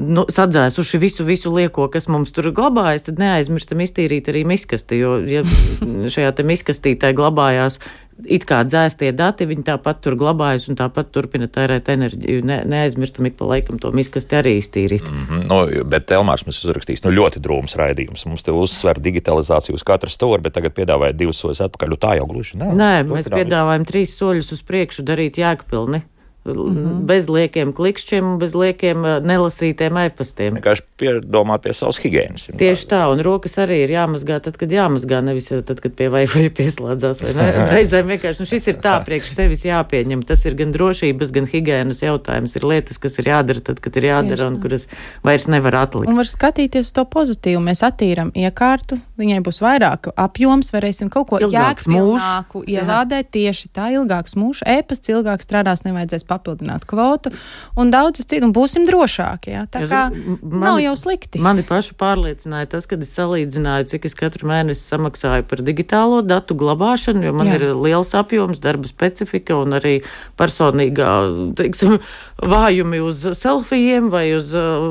nu, sadzēsuši visu, visu lieko, kas mums tur glabājas, tad neaizmirstam iztīrīt arī miskasti, jo ja šajā te miskastītē glabājās it kā dzēstie dati, viņi tāpat tur glabājas un tāpat turpina tērēt enerģiju. Ne, neaizmirstam ik pa laikam to miskasti arī iztīrīt. Mm-hmm. Nu, bet Elmārs mums uzrakstīs, nu ļoti drūms raidījums. Mums te uzsver digitalizāciju uz katru stūri, bet tagad piedāvāja divus soļus atpakaļ. Tā jau gluži nav. Nē, mēs piedāvājam trīs soļus uz priekšu darīt jēgpilni. Mm-hmm. Bez liekiem klikšķiem un bez liekiem nelasītiem e-pastiem. Vienkārši piedomāt pie savas higienas. Tieši tā, un rokas arī ir jāmazgā tad, kad jāmazgā, nevis tad, kad pie Wi-Fi pieslēdzās. Vai ne? Reizēm vienkārši, nu šis ir tā priekš sevis jāpieņem. Tas ir gan drošības, gan higienas jautājums. Ir lietas, kas ir jādara tad, kad ir jādara un kuras vairs nevar atlikt. Un var skatīties to pozitīvu. Mēs attīram iekārtu, viņai būs vairāk apjoms, varēsim kaut ko jēgspilnāku ielādēt. Tieši tā, ilgāks mūžs, e-pasts ilgāk strādās, nevajadzēs papildināt kvotu un daudzas citu, un būsim drošāki. Ja? Tā kā mani, nav jau slikti. Mani pašu pārliecināja tas, kad es salīdzināju, cik es katru mēnesi samaksāju par digitālo datu glabāšanu, jo man Jā. ir liels apjoms, darba specifika un arī personīgā, teiksim, vājumi uz selfijiem vai uz uh,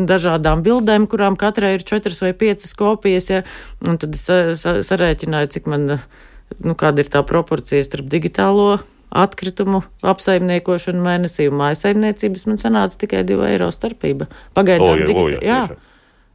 dažādām bildēm, kurām katrai ir četras vai piecas kopijas. Ja? Un tad es sa- sarēķināju, cik man, nu, kāda ir tā proporcija starp digitālo atkritumu apsaimniekošanu mēnesī un mājasaimniecības, man sanāca tikai divu eiro starpība. Pagaidām Oja, digita- oja, jā.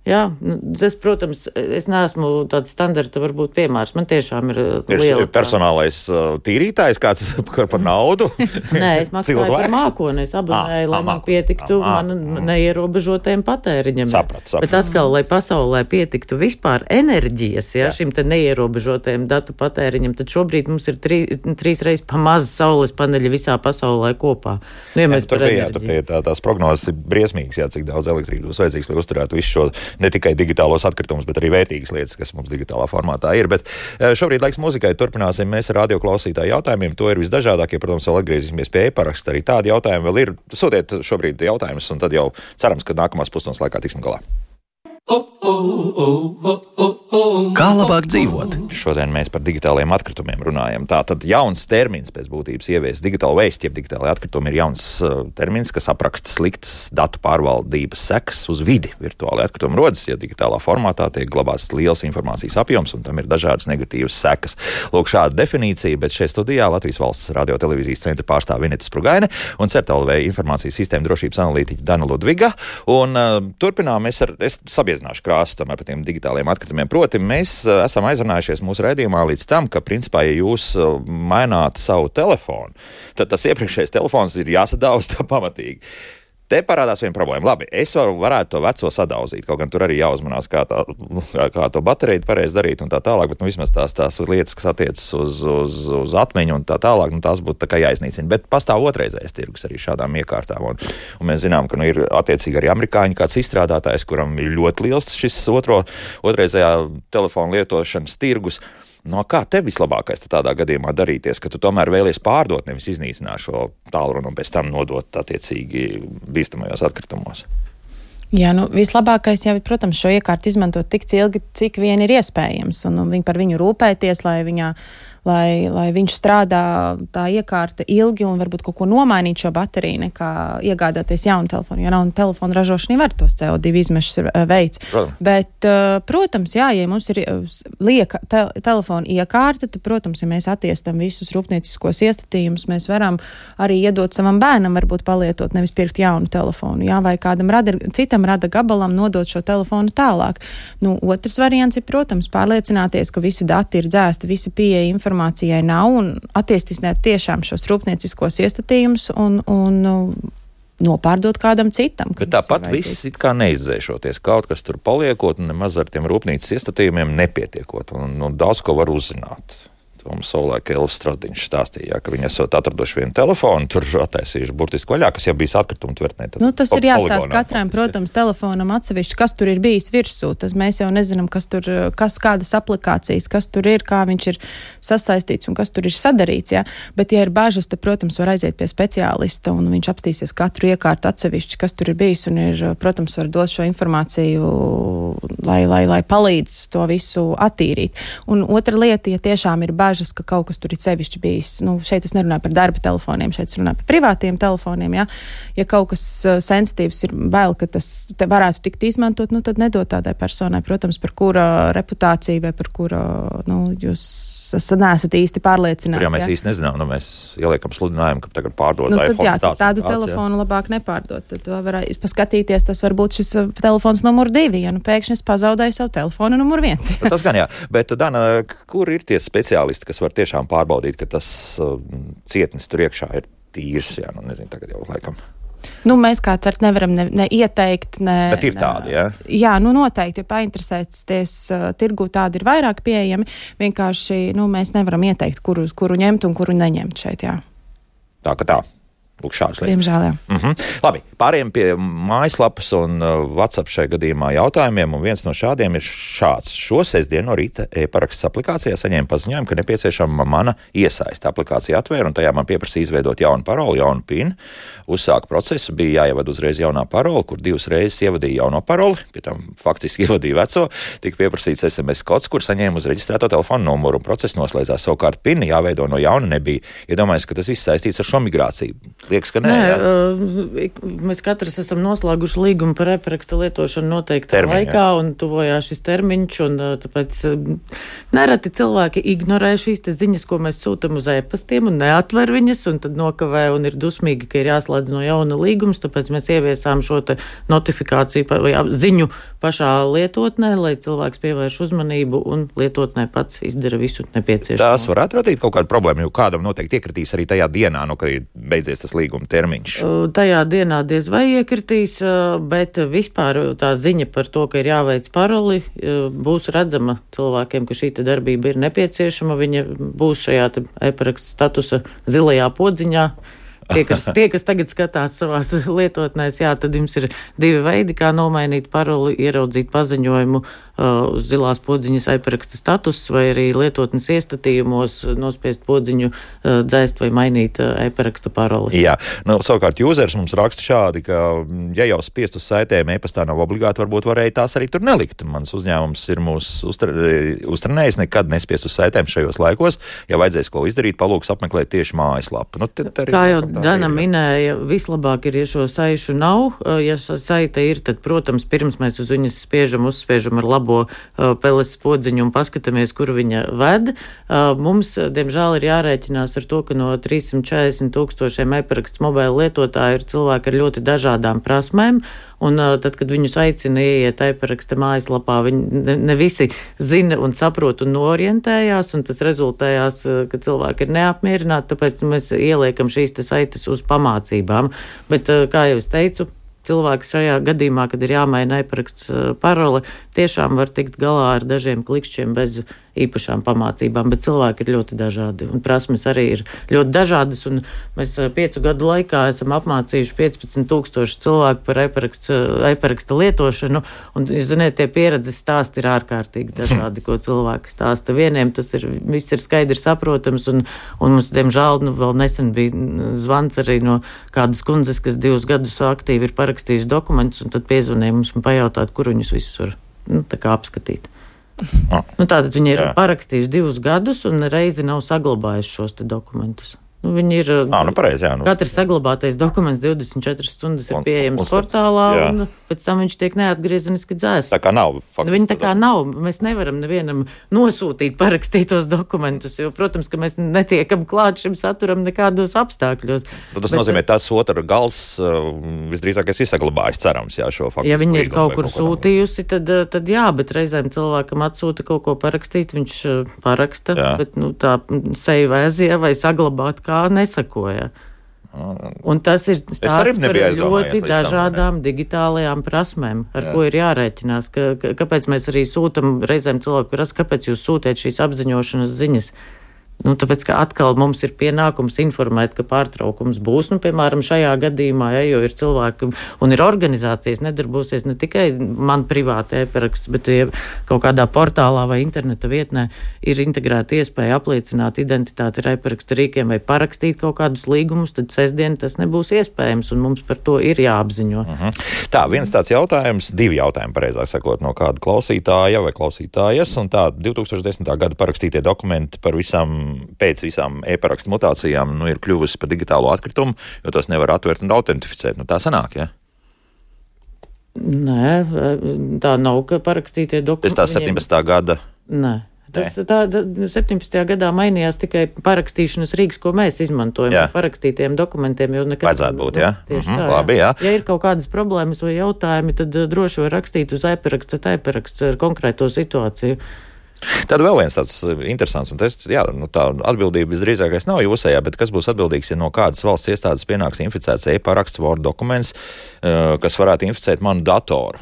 Jā, tas, protams, es neesmu tāds standarta varbūt piemērs. Man tiešām ir liela... Ir personālais uh, tīrītājs kāds par naudu? Nē, es maksāju par mākoni. Es abonēju, lai man pietiktu man neierobežotajam patēriņam. Saprat, saprat. Bet atkal, lai pasaulē pietiktu vispār enerģijas, ja, šim te neierobežotajam datu patēriņam, tad šobrīd mums ir trī, trīs reizes pa maz saules paneļa visā pasaulē kopā. Nu, ja mēs tur par bija, enerģiju. tur bija tā, tās prognozes ir briesmīgas, jā, cik daudz elektrības vajadzīgs, lai uzturētu visu šo ne tikai digitālos atkritumus, bet arī vērtīgas lietas, kas mums digitālā formātā ir. Bet šobrīd laiks muzikai, turpināsim mēs ar radioklausītāju jautājumiem. To ir visdažādākie, protams, vēl atgriezīsimies pie e-paraksta. Arī tādi jautājumi vēl ir. Sūtiet šobrīd jautājumus, un tad jau cerams, ka nākamās pusstundas laikā tiksim galā. Kā labāk dzīvot? Šodien mēs par digitālajiem atkritumiem runājam. Tā tad jauns termins pēc būtības ievies digitāla waste, jeb digitālai atkritumi ir jauns uh, termins, kas apraksta sliktas datu pārvaldības sekas uz vidi. Virtuāli atkritumi rodas, ja digitālā formātā tiek glabāts liels informācijas apjoms, un tam ir dažādas negatīvas sekas. Lūk, šāda definīcija, bet šeit studijā Latvijas Valsts radiotelevīzijas centra pārstāve Vineta Sprugaine un CERT-L V informācijas sistēma drošības analītiķa Dana Ludviga. Un uh, turpinām mēs ar, es sabiezināšu krāsu tomēr par tiem digitāliem atkritumiem. Proti, mēs uh, esam aizrunājušies mūsu raidījumā līdz tam, ka, principā, ja jūs uh, maināt savu telefonu, tad tas iepriekšējais telefons ir jāsadauz tā pamatīgi. Te parādās viena problēma. Labi, es varu, varētu to veco sadauzīt, kaut gan tur arī jāuzmanās, kā, tā, kā to bateriju pareizi darīt un tā tālāk, bet nu, vismaz tās, tās lietas, kas attiecas uz, uz, uz atmiņu un tā tālāk, nu, tās būtu tā kā jāiznīcina. Bet pastāv otrreizējais tirgus arī šādām iekārtām. Un, un mēs zinām, ka nu, ir attiecīgi arī amerikāņi kāds izstrādātājs, kuram ir ļoti liels šis otro, otrreizējā telefonu lietošanas tirgus. No kā tev vislabākais tādā gadījumā darīties, ka tu tomēr vēlies pārdot, nevis iznīcināt šo tālruni un pēc tam nodot attiecīgi bīstamajos atkritumos? Jā, nu, vislabākais jau ir, protams, šo iekārtu izmantot tik ilgi, cik vien ir iespējams, un, un viņi par viņu rūpēties, lai viņā, lai, lai viņš strādā tā iekārta ilgi un varbūt kaut ko nomainīt šo bateriju, nekā iegādāties jaunu telefonu, jo jaunu telefonu ražošana var tos C O divi izmešus veids. Protams. Bet, protams, jā, ja mums ir lieka te, telefona iekārta, tad, protams, ja mēs attiestam visus rūpnieciskos iestatījumus, mēs varam arī iedot savam bērnam, varbūt palietot, nevis pirkt jaunu telefonu, jā, vai kādam rada, citam rada gabalam nodot šo telefonu tālāk. Nu, otrs variants ir, protams, pārliecināties, ka visi dati ir dzēsti, visi pieeja informācijai nav un attīstināt tiešām šos rūpnieciskos iestatījumus un, un nopārdot kādam citam. Bet tāpat viss it kā neizdzēšoties. Kaut kas tur paliekot un nemaz ar tiem rūpnīcas iestatījumiem nepietiekot. Un, un daudz ko var uzzināt. To mums savulaik Elvis Strasdiņš stāstīja, ka viņi esot atraduši vienu telefonu, tur attaisījuši burtiski vaļā, kas jau bijis atkritumu tvertnē. Nu, tas ir jāstāsta katram, protams, telefonam atsevišķi, kas tur ir bijis virsū. Tas mēs jau nezinām, kas tur, kas kādas aplikācijas, kas tur ir, kā viņš ir sasaistīts un kas tur ir sadarīts, jā. Bet, ja ir bažas, tad, protams, var aiziet pie speciālista un viņš apstīsies katru iekārtu atsevišķi, kas tur ir bijis un ir, protams, var dot šo informāciju, lai, lai, lai palīdz to visu attīrīt. Un otra lieta, ja tiešām ir bažas, ka kaut kas tur ir sevišķi bijis. Nu, šeit es nerunāju par darba telefoniem, šeit es runāju par privātiem telefoniem. Ja, ja kaut kas uh, sensitīvs ir bail, ka tas varētu tikt izmantot, nu, tad nedod tādai personai, protams, par kura reputāciju vai par kura nu, jūs neesat īsti pārliecināts. Tur jau mēs ja. īsti nezinām, nu mēs ieliekam sludinājumu, ka tagad pārdod nu, iPhone. Jā, tad tādu tāds, telefonu jā. Labāk nepārdot. Tad var paskatīties, tas var būt šis telefons numur divi, ja nu pēkšņi es pazaudēju savu telefonu numur viens. Tas gan jā, bet Dana, kur ir tie speciālisti, kas var tiešām pārbaudīt, ka tas uh, cietnis tur iekšā ir tīrs, jā, nu nezinu, tagad jau laikam. Nu, mēs kā cert nevaram ne, ne ieteikt, ne... Bet ir tādi, jā? Jā, nu noteikti, ja painteresēties uh, tirgu, tādi ir vairāk pieejami. Vienkārši, nu, mēs nevaram ieteikt, kuru, kuru ņemt un kuru neņemt šeit, jā. Tā ka tā. Lūk, šādas lietas. Diemžēl, jā. Mm-hmm. Labi, pārējiem pie mājaslapas un uh, WhatsApp šajā gadījumā jautājumiem, un viens no šādiem ir šāds. Šo sestdienu no rīta e-paraksts aplikācijā saņēma paziņojumu, ka nepieciešama mana iesaista. Aplikācija atvēra, un tajā man pieprasīja izveidot jaunu paroli, jaunu pin. Uzsāka procesu, bija jāievada uzreiz jaunā paroli, kur divas reizes ievadīja jauno paroli, pie tam faktiski ievadīja veco, tika pieprasīts es em es kods, kur saņēma uz reģistrēto telefonu numuru, un process noslēdzās. Savukārt pin jāveido no jauna nebija. Iedomājies, ka tas viss saistīts ar šo migrāciju. Liekas, ka nē, nē mēs katrs esam noslēguši līgumu par e-paraksta lietošanu noteiktā Termiņa, laikā, jā. Un tuvojās šis termiņš, un tāpēc nereti cilvēki ignorē šīs te ziņas, ko mēs sūtam uz e-pastiem, un neatver viņas, un tad nokavē, un ir dusmīgi, ka ir jāslēdz no jauna līgums, tāpēc mēs ieviesām šo te notifikāciju vai ziņu pašā lietotnē, lai cilvēks pievērš uzmanību un lietotnē pats izdara visu nepieciešamo. Tās varētu radīt kaut kādu problēmu, jo kādam noteikti iekritīs arī tajā dienā, no kad ir beidzies tas līguma termiņš. Tajā dienā diez vai iekritīs, bet vispār tā ziņa par to, ka ir jāveic paroli, būs redzama cilvēkiem, ka šī darbība ir nepieciešama. Viņa būs šajā e-paraksta statusa zilajā podziņā. Tie kas, tie, kas tagad skatās savās lietotnēs, jā, tad jums ir divi veidi, kā nomainīt paroli, ieraudzīt paziņojumu uh, uz zilās podziņas e-paraksta status, vai arī lietotnes iestatījumos nospiest podziņu, uh, dzēst vai mainīt uh, e-paraksta paroli. Jā, nu, savukārt users mums raksta šādi, ka, ja jau spiest uz saitēm e-pastā nav obligāti, varbūt varēja tās arī tur nelikt. Mans uzņēmums ir mūs uztra, uztrenējis, nekad nespiest uz saitēm šajos laikos. Ja vajadzēs ko izdarīt, palūks apmeklēt tieši mājaslapu. Nu, Kā jau Dana minēja, vislabāk ir, ja šo saišu nav. Ja saita ir, tad, protams, pirms mēs uz viņas spiežam, uzspiežam ar labo uh, peles podziņu un paskatāmies, kur viņa ved. Uh, mums, diemžēl, ir jārēķinās ar to, ka no trīssimt četrdesmit tūkstošiem e-paraksts mobila lietotāju ir cilvēki ar ļoti dažādām prasmēm. Un uh, tad, kad viņus aicina ieiet e-paraksta mājaslapā, viņi ne, ne visi zina un saprot un orientējās, un tas rezultējās, uh, ka cilvēki ir neapmierināti, tāpēc mēs ieliekam šīs te saites uz pamācībām. Bet, uh, kā jau es teicu, cilvēks šajā gadījumā, kad ir jāmaina e-paraksts uh, parole, tiešām var tikt galā ar dažiem klikšķiem bez īpašām pamācībām, bet cilvēki ir ļoti dažādi, un prasmes arī ir ļoti dažādas, un mēs piecu gadu laikā esam apmācījuši piecpadsmit tūkstoši cilvēku par e-paraksta, e-paraksta lietošanu, un, jūs ziniet, tie pieredzes stāsti ir ārkārtīgi dažādi, ko cilvēki stāsta. Vieniem tas ir, viss ir skaidri saprotams, un, un mums, diemžēl, nu, vēl nesen bija zvans arī no kādas kundzes, kas divus gadus aktīvi ir parakstījusi dokumentus, un tad piezvanīja mums un pajautāt, kur viņus visus var, nu, tā kā apskatīt. Ah. Nu, tātad viņi ir Jā. parakstījuši divus gadus un reizi nav saglabājuši šos te dokumentus. Nu, viņi ir, à, nu, pareizi, jā, nu. Katrs saglabātais dokuments divdesmit četras stundas ir un, pieejams un, portālā, jā. Un pēc tam viņš tiek neatgriezeniski dzēsts. Tā kā nav. Faktiski, viņi tā kā nav. Mēs nevaram nevienam nosūtīt parakstītos dokumentus, jo, protams, ka mēs netiekam klāt šim saturam nekādos apstākļos. Nu, tas Bet, nozīmē, tas otra gals visdrīzākais ir saglabājis, cerams, jā, šo faktu. Ja viņi ir kaut kur sūtījusi, tad, tad jā, bet reizēm cilvēkam atsūta kaut ko parakstīt, viņš paraksta, jā. Bet, nu, tā save as, ja, vai saglabāt kā nesakoja. Un tas ir stāsts par ļoti dažādām digitālajām prasmēm, ar Jā. Ko ir jārēķinās. Ka, ka, kāpēc mēs arī sūtam reizēm cilvēku prasa, kāpēc jūs sūtiet šīs apziņošanas ziņas? Nu, tāpēc, ka atkal mums ir pienākums informēt, ka pārtraukums būs, nu, piemēram, šajā gadījumā, ja, jo ir cilvēki un ir organizācijas, nedarbosies ne tikai man privāti e-paraksts, bet ja kaut kādā portālā vai interneta vietnē ir integrēta iespēja apliecināt identitāti ar e-paraksta rīkiem vai parakstīt kaut kādus līgumus, tad sestdien tas nebūs iespējams, un mums par to ir jāapziņo. Uh-huh. Tā, viens tāds jautājums, divi jautājumi, pareizāk sakot, no kāda klausītāja vai klausītājas, un tā divs tūkstoši desmitā gada parakstītie dokumenti par visām pēc visām e-parakstu mutācijām nu, ir kļuvusi par digitālo atkritumu, jo tos nevar atvert un autentificēt. Nu, tā sanāk, ja? Nē, tā nav, ka parakstītie dokumenti... Tas tā septiņpadsmitā gada... Nē. Tas, tā, tā, septiņpadsmitajā gadā mainījās tikai parakstīšanas rīks, ko mēs izmantojam jā. Par parakstītiem dokumentiem. Vajadzētu būt, jā? Tieši mm-hmm, tā, labi, jā. Ja ir kaut kādas problēmas vai jautājumi, tad droši var rakstīt uz e-paraksta, e-paraksts ar konkrēto situāciju. Tad vēl viens tāds interesants, un tas, jā, nu, tā atbildība visdrīzākais nav jūsējā, bet kas būs atbildīgs, ja no kādas valsts iestādes pienāks inficēts e-paraksts, Word dokuments, kas varētu inficēt manu datoru.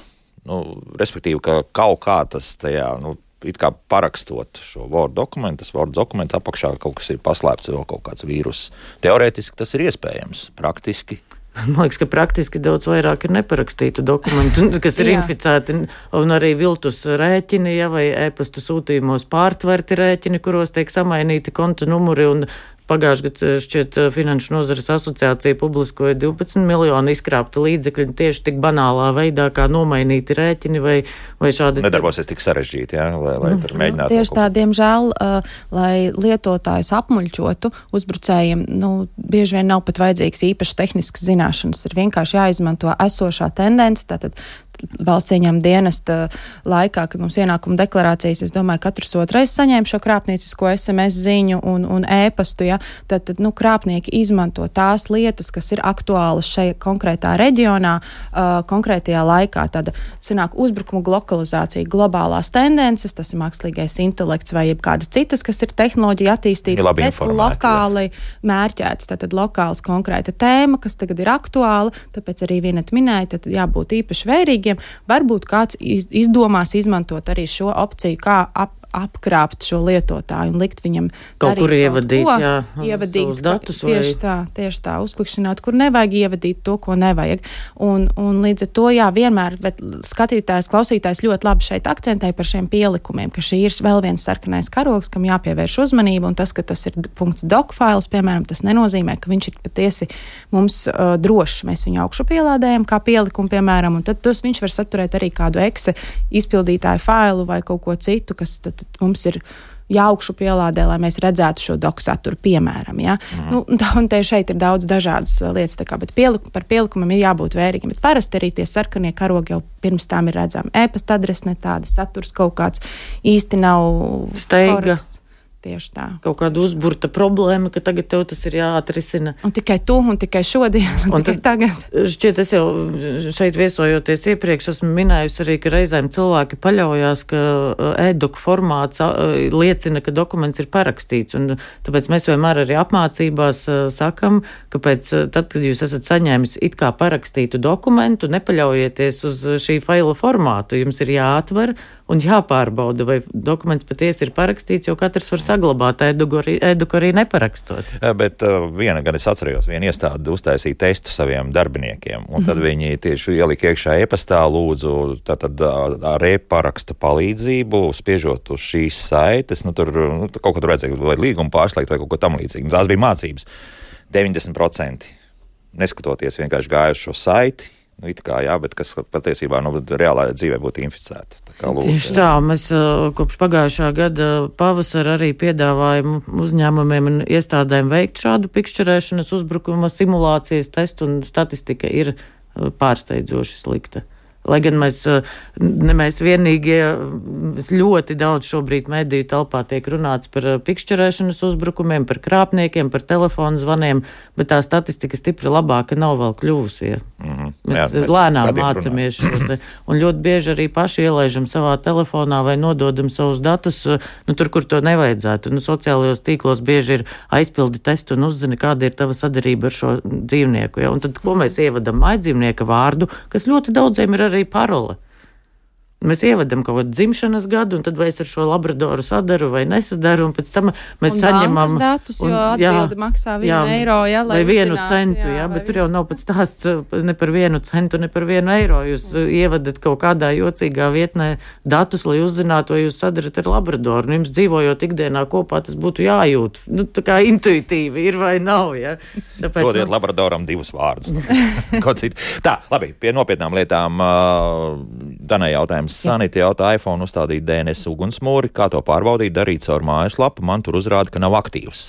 Nu, respektīvi, ka kaut kā tas tajā, nu, it kā parakstot šo Word dokumentu, tas Word dokumentu apakšā kaut kas ir paslēpts, vēl kaut kāds vīrus. Teorētiski tas ir iespējams, praktiski. Man liekas, ka praktiski daudz vairāk ir neparakstītu dokumentu, kas ir inficēti, un arī viltus rēķini, ja, vai e-pastu sūtījumos pārtverti rēķini, kuros tiek samainīti konta numuri, un pagājušajā gadā šķiet Finanšu nozares asociācija publiskoja divpadsmit miljonu izkrāpta līdzekļu tieši tik banālā veidā, kā nomainīti rēķini vai, vai šādi. Nedarbosies tik sarežģīti, jā, lai, lai tur mēģinātu. Tieši tā, diemžēl, uh, lai lietotājus apmuļķotu, uzbrucējiem, nu, bieži vien nav pat vajadzīgs īpaši tehniskas zināšanas. Ir vienkārši jāizmanto esošā tendence, tātad valsts ieņēmuma dienesta laikā, kad mums ienākuma deklarācijas, es domāju, katrs otrais saņēma šo krāpniecisko es em es ziņu un, un e-pastu, ja, tad, tad, nu, krāpnieki izmanto tās lietas, kas ir aktuālas šajā konkrētā reģionā, uh, konkrētajā laikā. Tad sanāk uzbrukumu lokalizācija, globālās tendences, tas ir mākslīgais intelekts vai jebkādas citas, kas ir tehnoloģija attīstīts, bet lokāli mērķēts, tātad lokāls konkrēta tēma, kas tagad ir aktuāla, tāpēc arī vienat minēja, tad jābūt īpaši vērīgiem. Varbūt kāds izdomās izmantot arī šo opciju, kā ap, apkrāpt šo lietotāju un likt viņam kaut kur ievadīt, ko, jā, ievadīt datus. Tieši vai... tā, tieši tā, uzklikšķināt, kur nevajag ievadīt to, ko nevajag. Un, un līdz ar to, jā, vienmēr, bet skatītājs, klausītājs ļoti labi šeit akcentē par šiem pielikumiem, ka šī ir vēl viens sarkanais karogs, kam jāpievērš uzmanība, un tas, ka tas ir .doc fails, piemēram, tas nenozīmē, ka viņš ir patiesi mums uh, drošs. Mēs viņu augšu pielādējam kā pielikumu, piemēram, un tad tos viņš var saturēt arī kādu exe izpildītāju failu vai kaut ko citu, kas tad, tad mums ir jāaugšu pielādē, lai mēs redzētu šo doku saturu, piemēram. Ja? Mm. Nu, un te šeit ir daudz dažādas lietas, tā kā, bet pieliku, par pielikumam ir jābūt vērīgiem. Bet parasti arī tie sarkanie karogi jau pirms tām ir redzami. E-pasta adrese ne tāda, saturs kaut kāds īsti nav steiga. Korekts. Tieši tā. Kaut kāda uzburta problēma, ka tagad tev tas ir jāatrisina. Un tikai tu, un tikai šodien, un, un tikai tagad. Šķiet, es jau šeit viesojoties iepriekš esmu minējusi arī, ka reizēm cilvēki paļaujās, ka e-doku formāts liecina, ka dokuments ir parakstīts. Un tāpēc mēs vienmēr arī apmācībās sakam, ka pēc, tad, kad jūs esat saņēmis it kā parakstītu dokumentu, nepaļaujieties uz šī faila formātu. Jums ir jāatver un jāpārbauda, vai dokuments patiesi ir parakstīts, jo katrs var saglabāt e-doku arī, e-doku arī neparakstot. Bet uh, viena, gan es atceros, viena iestāde uztaisīja testu saviem darbiniekiem, un tad mm-hmm. viņi tieši ielika iekšā e-pastā, lūdzu, tātad ar e-paraksta palīdzību, spiežot uz šīs saites, nu tur nu, kaut ko tur vajadzēja, vai līgumu pārslēgt, vai kaut ko tam līdzīgi. Tās bija mācības. deviņdesmit procenti neskatoties vienkārši gāja uz šo saiti, nu, it kā, jā, bet kas patiesībā nu, reālā dzīvē būtu inficēta. Tā kā lūdzu, tieši tā, mēs uh, kopš pagājušā gada pavasara arī piedāvājam uzņēmumiem un iestādēm veikt šādu pikšķerēšanas uzbrukuma simulācijas testu, un statistika ir uh, pārsteidzoši slikta. Lai gan mēs, ne mēs vienīgie, ļoti daudz šobrīd mediju telpā tiek runāts par pikšķerēšanas uzbrukumiem, par krāpniekiem, par telefonu zvaniem, bet tā statistika stipri labāka nav vēl kļuvusi. Ja. Mm-hmm. Mēs, Jā, mēs lēnām mācamies šo te, un ļoti bieži arī paši ielaižam savā telefonā vai nododam savus datus, nu tur, kur to nevajadzētu. Nu, sociālajos tīklos bieži ir aizpildi testu un uzzina, kāda ir tava sadarība ar šo dzīvnieku. Ja. Un tad, ko mēs ievadam mājdzīvnieka vārdu, kas ļoti daudziem ir arī parole. Mēs ievadam kaut kādu dzimšanas gadu, un tad vai es ar šo labradoru sadaru vai nesadaru, un pēc tam mēs un saņemam... Un datus, jo atbildi maksā vienu jā, eiro, ja, lai vai vienu uzzinās, centu, jā, jā bet tur jau nav pats stāsts ne par vienu centu, ne par vienu eiro. Jūs ievadat kaut kādā jocīgā vietnē datus, lai uzzinātu, vai jūs sadarat ar labradoru. Un jums dzīvojot ikdienā kopā, tas būtu jājūt. Nu, tā kā intuitīvi ir vai nav, ja. Tāpēc... Dodiet nu... labradoram divus vārdus. Tā, labi, pie nopietnām lietām Danai jautājums. Sanita jautā, iPhone uzstādīt D N S ugunsmūri, kā to pārbaudīt, darīt caur mājaslapu, man tur uzrāda, ka nav aktīvs.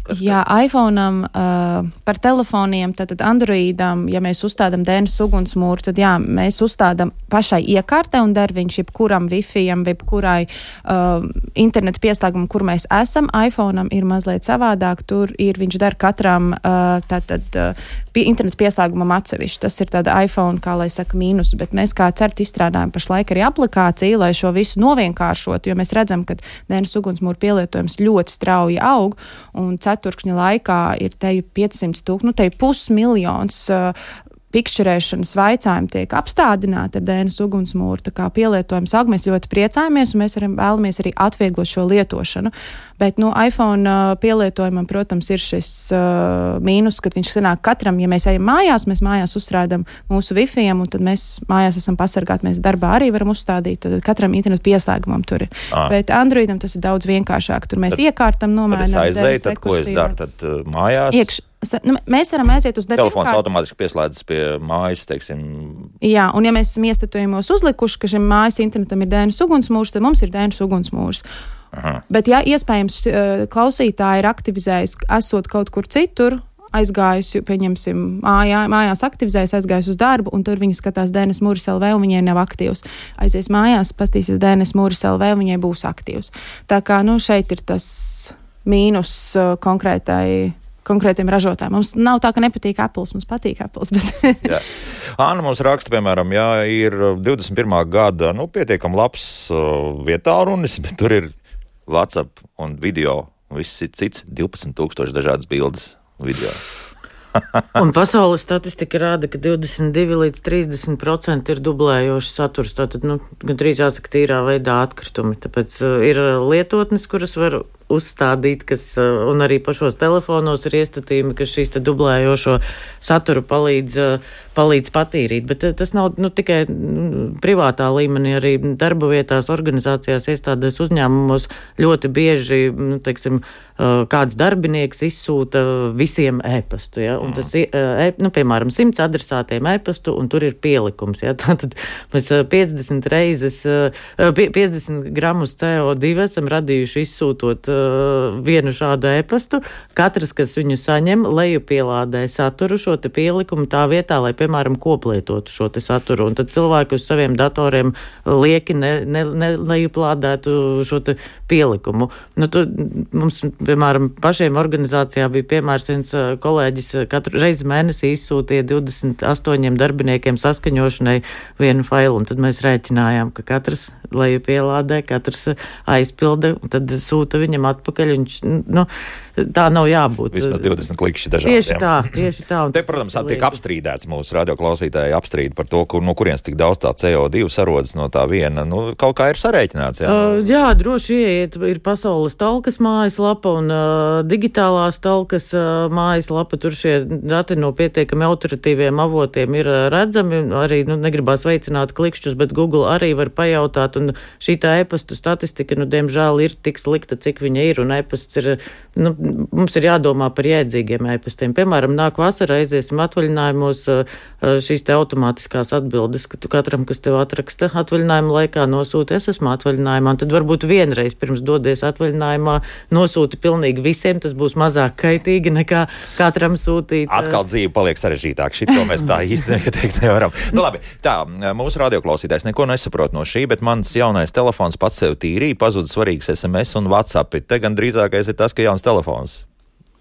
Kas, Jā, iPhone'am, uh, par telefoniem, tātad Androidam, ja mēs uzstādam D N S ugunsmūru, tad jā, mēs uzstādam pašai iekārtē un der viņš jebkuram Wi-Fi-am, jebkurai uh, internetu pieslēgumam, kur mēs esam. iPhone'am ir mazliet savādāk, tur ir, viņš der katram uh, tātad uh, pie, internetu pieslēgumam atsevišķi. Tas ir tāda iPhone, kā lai saka, mīnus, bet mēs kā CERT izstrādājam pašlaik arī aplikāciju, lai šo visu novienkāršot, jo mēs redzam, ka D N S ugunsmūru pielietojums ļoti strauji aug, un ceturkšņa laikā ir teju piecsimt tūkstoši, nu teju pusmiljons uh, pikšķerēšanas vaicājumi tiek apstādināti ar D N S ugunsmūru, tā kā pielietojums aug, mēs ļoti priecājamies, un mēs varam, vēlamies arī atvieglot šo lietošanu. Bet, nu, iPhone uh, pielietojumam, protams, ir šis uh, mīnus, kad viņš sanāk katram, ja mēs ejam mājās, mēs mājās uzstrādam mūsu Wi-Fi-am, un tad mēs mājās esam pasargāti, mēs darbā arī varam uzstādīt, tad katram internetu pieslēgumam tur ir. Ah. Bet Androidam tas ir daudz vienkāršāk, tur mēs tad, iekārtam, nomēnam. Tad es aizēju, tad ko es daru, tad uh, mājās? Iekš, nu, mēs varam aiziet uz darbu. Telefons automātiski pieslēdzas pie mājas, teiksim. Jā, un ja mēs esam iestatījumos uzlikuši, ka šim mājas internetam ir D N S ugunsmūrs, tad mums ir D N S ugunsmūrs. Aha. Bet, ja iespējams klausītāji ir aktivizējis, esot kaut kur citur, aizgājusi, pieņemsim, mājā, mājās aktivizējas, aizgājusi uz darbu, un tur viņi skatās D N S mūris L V, un viņai nav aktīvs. Aizies mājās, pastīsies D N S mūris L V, un viņai būs aktīvs. Tā kā, nu, šeit ir tas mīnus uh, konkrētai konkrētiem ražotājiem. Mums nav tā, ka nepatīk Apples, mums patīk Apples, bet... Anna mums raksta, piemēram, jā, ir divdesmit pirmā gada, nu, pietiekam labs uh, vietārunis, bet tur ir WhatsApp un video, un viss cits divpadsmit tūkstoši dažādas bildes video. Un pasaules statistika rāda, ka divdesmit divi līdz trīsdesmit procenti ir dublējošs saturs, tātad, nu, gandrīz jāsaka tīrā veidā atkritumi. Tāpēc uh, ir lietotnes, kuras var uzstādīt, kas, un arī pašos telefonos ir iestatījumi, kas šīs te dublējošo saturu palīdz, palīdz patīrīt. Bet tas nav nu, tikai privātā līmenī, arī darba vietās, organizācijās, iestādēs, uzņēmumos ļoti bieži, nu, teiksim, kāds darbinieks izsūta visiem e-pastu, ja? Un tas, e, nu, piemēram, simts adresātiem e-pastu, un tur ir pielikums, ja? Tātad mēs piecdesmit reizes, piecdesmit gramus C O divi esam radījuši izsūtot vienu šādu e-pastu. Katrs, kas viņu saņem, lejupielādē saturu, šo te pielikumu tā vietā, lai, piemēram, koplietotu šo te saturu. Un tad cilvēki uz saviem datoriem lieki ne, ne, ne lejuplādētu šo te pielikumu. Nu, tu, mums, piemēram, pašiem organizācijā bija piemērs viens kolēģis katru reizi mēnesī izsūtīja divdesmit astoņiem darbiniekiem saskaņošanai vienu failu, un tad mēs rēķinājām, ka katrs lejupielādē, katrs aizpilda, un tad sūta viņam atpakaļ, viņš, nu, tā nav jābūt. Vismaz divdesmit klikšķi dažādiem. Tieši tā, tieši tā. Te, protams, tiek apstrīdēts mūsu radioklausītāji apstrīd par to, kur, no kurienes tik daudz tā C O divi sarodas no tā viena. Nu, kaut kā ir sarēķināts, jā? Uh, jā, droši ieiet, ir pasaules talkas mājaslapa un uh, digitālās talkas uh, mājaslapa. Tur šie dati no pietiekami autoritīviem avotiem ir uh, redzami. Arī, nu, negribās veicināt klikšķus, bet Google arī var pajautāt, un šī tā e-pastu statistika, nu, diemžēl ir tik slikta, cik viņa ir, un e-pasts ir, nu, mums ir jādomā par jēdzīgiem e-pastiem. Piemēram, nāk vasara, aiziesim atvaļinājumos, šīs te automātiskās atbildes, ka tu katram, kas tev atraksta atvaļinājuma laikā, nosūti, es esmu atvaļinājumā, un tad varbūt vienreiz pirms dodies atvaļinājumā nosūti pilnīgi visiem, tas būs mazāk kaitīgi nekā katram sūtīt. Atkal dzīve paliek sarežģītāk, šito mēs tā īsti neieteikt nevaram. Nu labi, tā, mūsu radioklausītājs neko nesaprot no šī, bet mans jaunais telefons pats sev tīrīja, pazuda svarīgs S M S un WhatsApp. Te gan drīzākais ir tas, ka jauns telefons.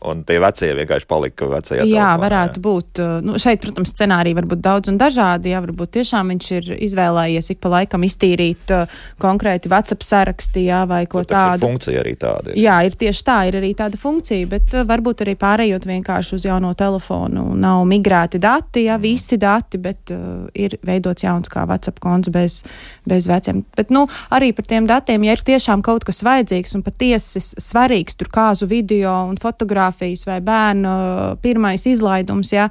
Un tie vecie vienkārši palika vecajā jā, telefonā. Varētu jā. būt. Nu, šeit, protams, scenāriji var būt daudz un dažādi. Jā, varbūt tiešām viņš ir izvēlējies ik pa laikam iztīrīt uh, konkrēti WhatsApp sarakstī, jā, vai ko bet tādu. Funkcija arī tāda. Ir. Jā, ir tieši tā, ir arī tāda funkcija, bet uh, varbūt arī pārējot vienkārši uz jauno telefonu. Nav migrēti dati, jā, visi dati, bet uh, ir veidots jauns kā WhatsApp konts bez, bez veciem. Bet, nu, arī par tiem datiem, ja ir tiešām kaut kas vajadzīgs un patiesi svarīgs, tur kāzu video un fotogrāfiju, vai bērnu pirmais izlaidums, jā.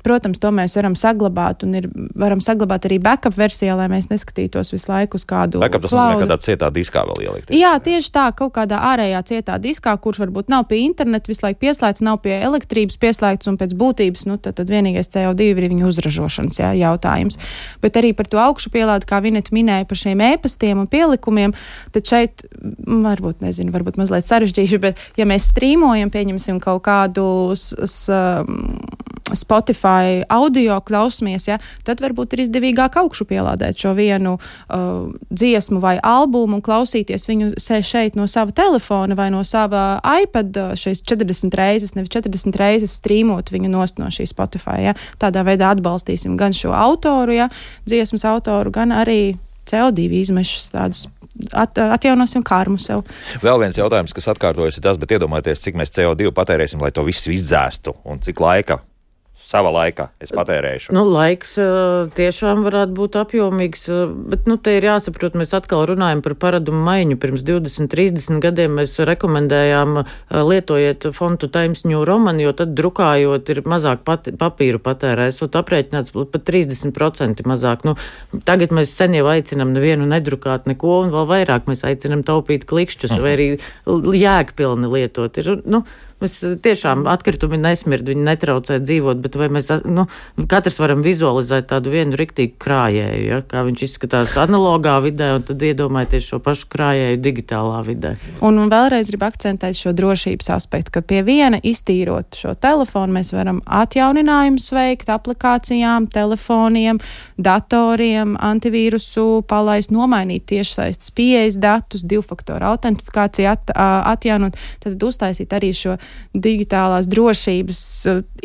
Protams, to mēs varam saglabāt un ir, varam saglabāt arī backup versijā, lai mēs neskatītos visu laiku uz kādu backup, tas nozīmē, kādā cietā diskā vēl ielikt. Jā, tieši tā, kaut kādā ārējā cietā diskā, kurš varbūt nav pie interneta visu laiku pieslēgts, nav pie elektrības pieslēgts un pēc būtības, nu, tad, tad vienīgais C O divi ir viņa uzražošanas, jā, jautājums. Bet arī par to augšupielādi, kā Vineta minēja par šiem e-pastiem un pielikumiem, tad šeit, varbūt, nezinu, varbūt mazliet sarežģīšu, bet ja mēs strīmojam, pieņem pieņemsim kaut kādus um, Spotify audio klausmies, ja, tad varbūt ir izdevīgāk augšu pielādēt šo vienu uh, dziesmu vai albumu un klausīties viņu šeit no sava telefona vai no sava iPad šeit četrdesmit reizes, nevis četrdesmit reizes strīmot viņu nost no šī Spotify. Ja. Tādā veidā atbalstīsim gan šo autoru, ja, dziesmas autoru, gan arī C O divi izmešus tādus. At, atjaunosim kārmu sev. Vēl viens jautājums, kas atkārtojas, ir tas, bet iedomājieties, cik mēs C O divi patērēsim, lai to visu izdzēstu, un cik laika, sava laika es patērēšu. Nu, laiks tiešām varētu būt apjomīgs, bet, nu, te ir jāsaprot, mēs atkal runājam par paradumu maiņu. Pirms divdesmit, trīsdesmit gadiem mēs rekomendējām lietojiet fontu Times New Roman, jo tad drukājot ir mazāk pat, papīru patērēs, un aprēķināts pat trīsdesmit procenti mazāk. Nu, tagad mēs sen jau aicinam nevienu nedrukāt neko, un vēl vairāk mēs aicinam taupīt klikšķus, vai arī jēgpilni lietot. Ir, nu, Mēs tiešām atkritumi nesmird, viņi netraucē dzīvot, bet vai mēs, nu, katrs varam vizualizēt tādu vienu riktīgu krājēju, ja, kā viņš izskatās analogā vidē, un tad iedomājieties šo pašu krājēju digitālā vidē. Un, un vēlreiz gribu akcentēt šo drošības aspektu, ka pie viena iztīrot šo telefonu mēs varam atjauninājumus veikt aplikācijām, telefoniem, datoriem, antivīrusu palaist, nomainīt tiešsaistes pieejas datus, divfaktoru autentifikāciju at, atjaunot, tad uztaisīt arī šo digitālās drošības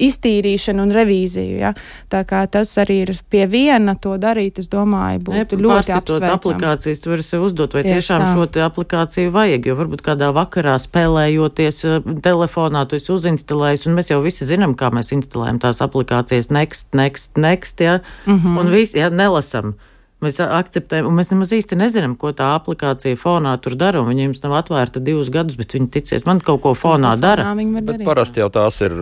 iztīrīšanu un revīziju. Ja? Tā kā tas arī ir pie viena to darīt, es domāju, būtu ne, ļoti apsveicami. Aplikācijas, tu vari sev uzdot, vai Tieši tiešām tā. šo te aplikāciju vajag, jo varbūt kādā vakarā spēlējoties telefonā, tu esi uzinstalējis, un mēs jau visi zinām, kā mēs instalējam tās aplikācijas next, next, next, ja? Mm-hmm. Un visi, ja, nelasam. Mēs akceptējam, un mēs nemaz īsti nezinām, ko tā aplikācija fonā tur dara, un viņa jums nav atvērta divus gadus, bet viņi ticiet, man kaut ko fonā ko dara. Fonā bet parasti jau tās ir,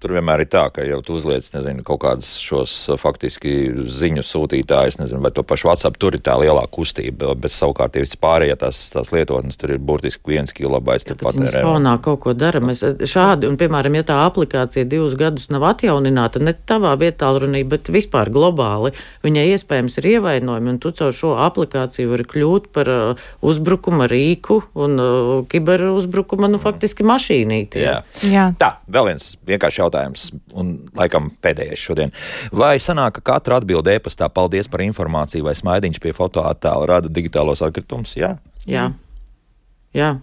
tur vienmēr ir tā, ka jau tu uzliec, nezinu, kaut kādas šos faktiski ziņu sūtītājus, nezinu, vai to pašu WhatsApp, tur ir tā lielā kustība, bet savukārt ir pārējie tās, tās lietotnes, tur ir burtiski viens kilobaits, tur patērē. Viņas fonā kaut ko dara. Mēs šādi, un piemēram, ja tā aplikācija divus gadus nav atjaunināta, ne tavā vietālrunī, bet vispār globāli, viņai iespējams ir ievainojumi, un tu caur šo aplikāciju vari kļūt par uh, uzbrukuma rīku un uh, kiberuzbrukuma, nu, faktiski mašīnīti. Jā. Jā. Tā, vēl viens vienkārši jautājums, un laikam pēdējais šodien. Vai sanāk, ka katra atbilde e-pastā paldies par informāciju vai smaidiņš pie fotoattēla rada digitālos atkritumus? Jā. Jā. Jā.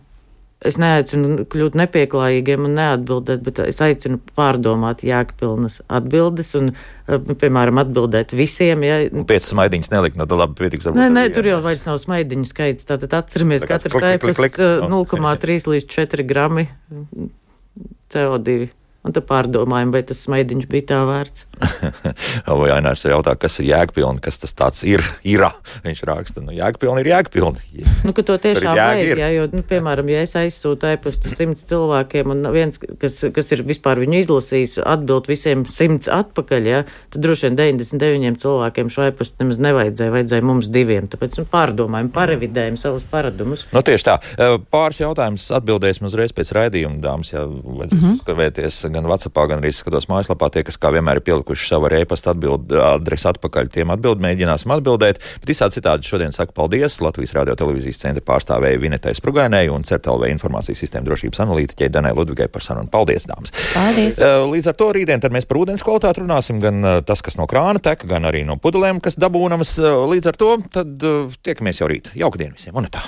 Es neaicinu kļūt nepieklājīgiem un neatbildēt, bet es aicinu pārdomāt jēgpilnas atbildes un, piemēram, atbildēt visiem. Ja. Un pēc smaidiņas nelikt, no tā labi pietiks. Nē, nē, tur jau vairs nav smaidiņu skaits. Tātad atceramies, tā katrs ēpasts nulle komā trīs līdz četri grami C O divi. Un tad pārdomājam, vai tas smaidiņš bija tā vērts. Vai Ainārs jautā, kas ir jēgpilni, kas tas tāds ir, ir. Viņš raksta, nu jēgpilni ir jēgpilni. Nu, ka to tiešām vajag, jā, jo, nu, piemēram, ja es aizsūtu e-pastu simts cilvēkiem un viens, kas, kas ir vispār viņu izlasījis, atbild visiem simts atpakaļ, jā, tad droši vien deviņdesmit deviņiem cilvēkiem šo e-pastu nemaz nevajadzēja, vajadzēja mums diviem. Tāpēc nu, pārdomājam, parevidējam savus paradumus. Nu, tieši tā. Pāris jautājumus atbildēsim uzreiz pēc raidījuma, dāmas, ja vajadzēs mm-hmm. uzskavēties gan WhatsAppā, gan arī skatos mājaslapā. Tie, kas kā vienmēr ir pielikuši savu e-pasta atbildi adresi atpakaļ, tiem atbild, mēģināsim atbildēt. Bet visādi citādi šodien saku paldies Latvijas radio televīzijas centra pārstāvēja Vinetai Sprugainai un C E R T L V informācijas sistēma drošības analītiķei Danai Ludvigai par sarunu. Paldies, dāmas! Paldies! Līdz ar to rītdien tad mēs par ūdens kvalitāti runāsim, gan tas, kas no krāna tek, gan arī no pudelēm, kas dabūnamas. Līdz ar to tad tiekamies jau rīt. Jauka diena visiem! Un tā!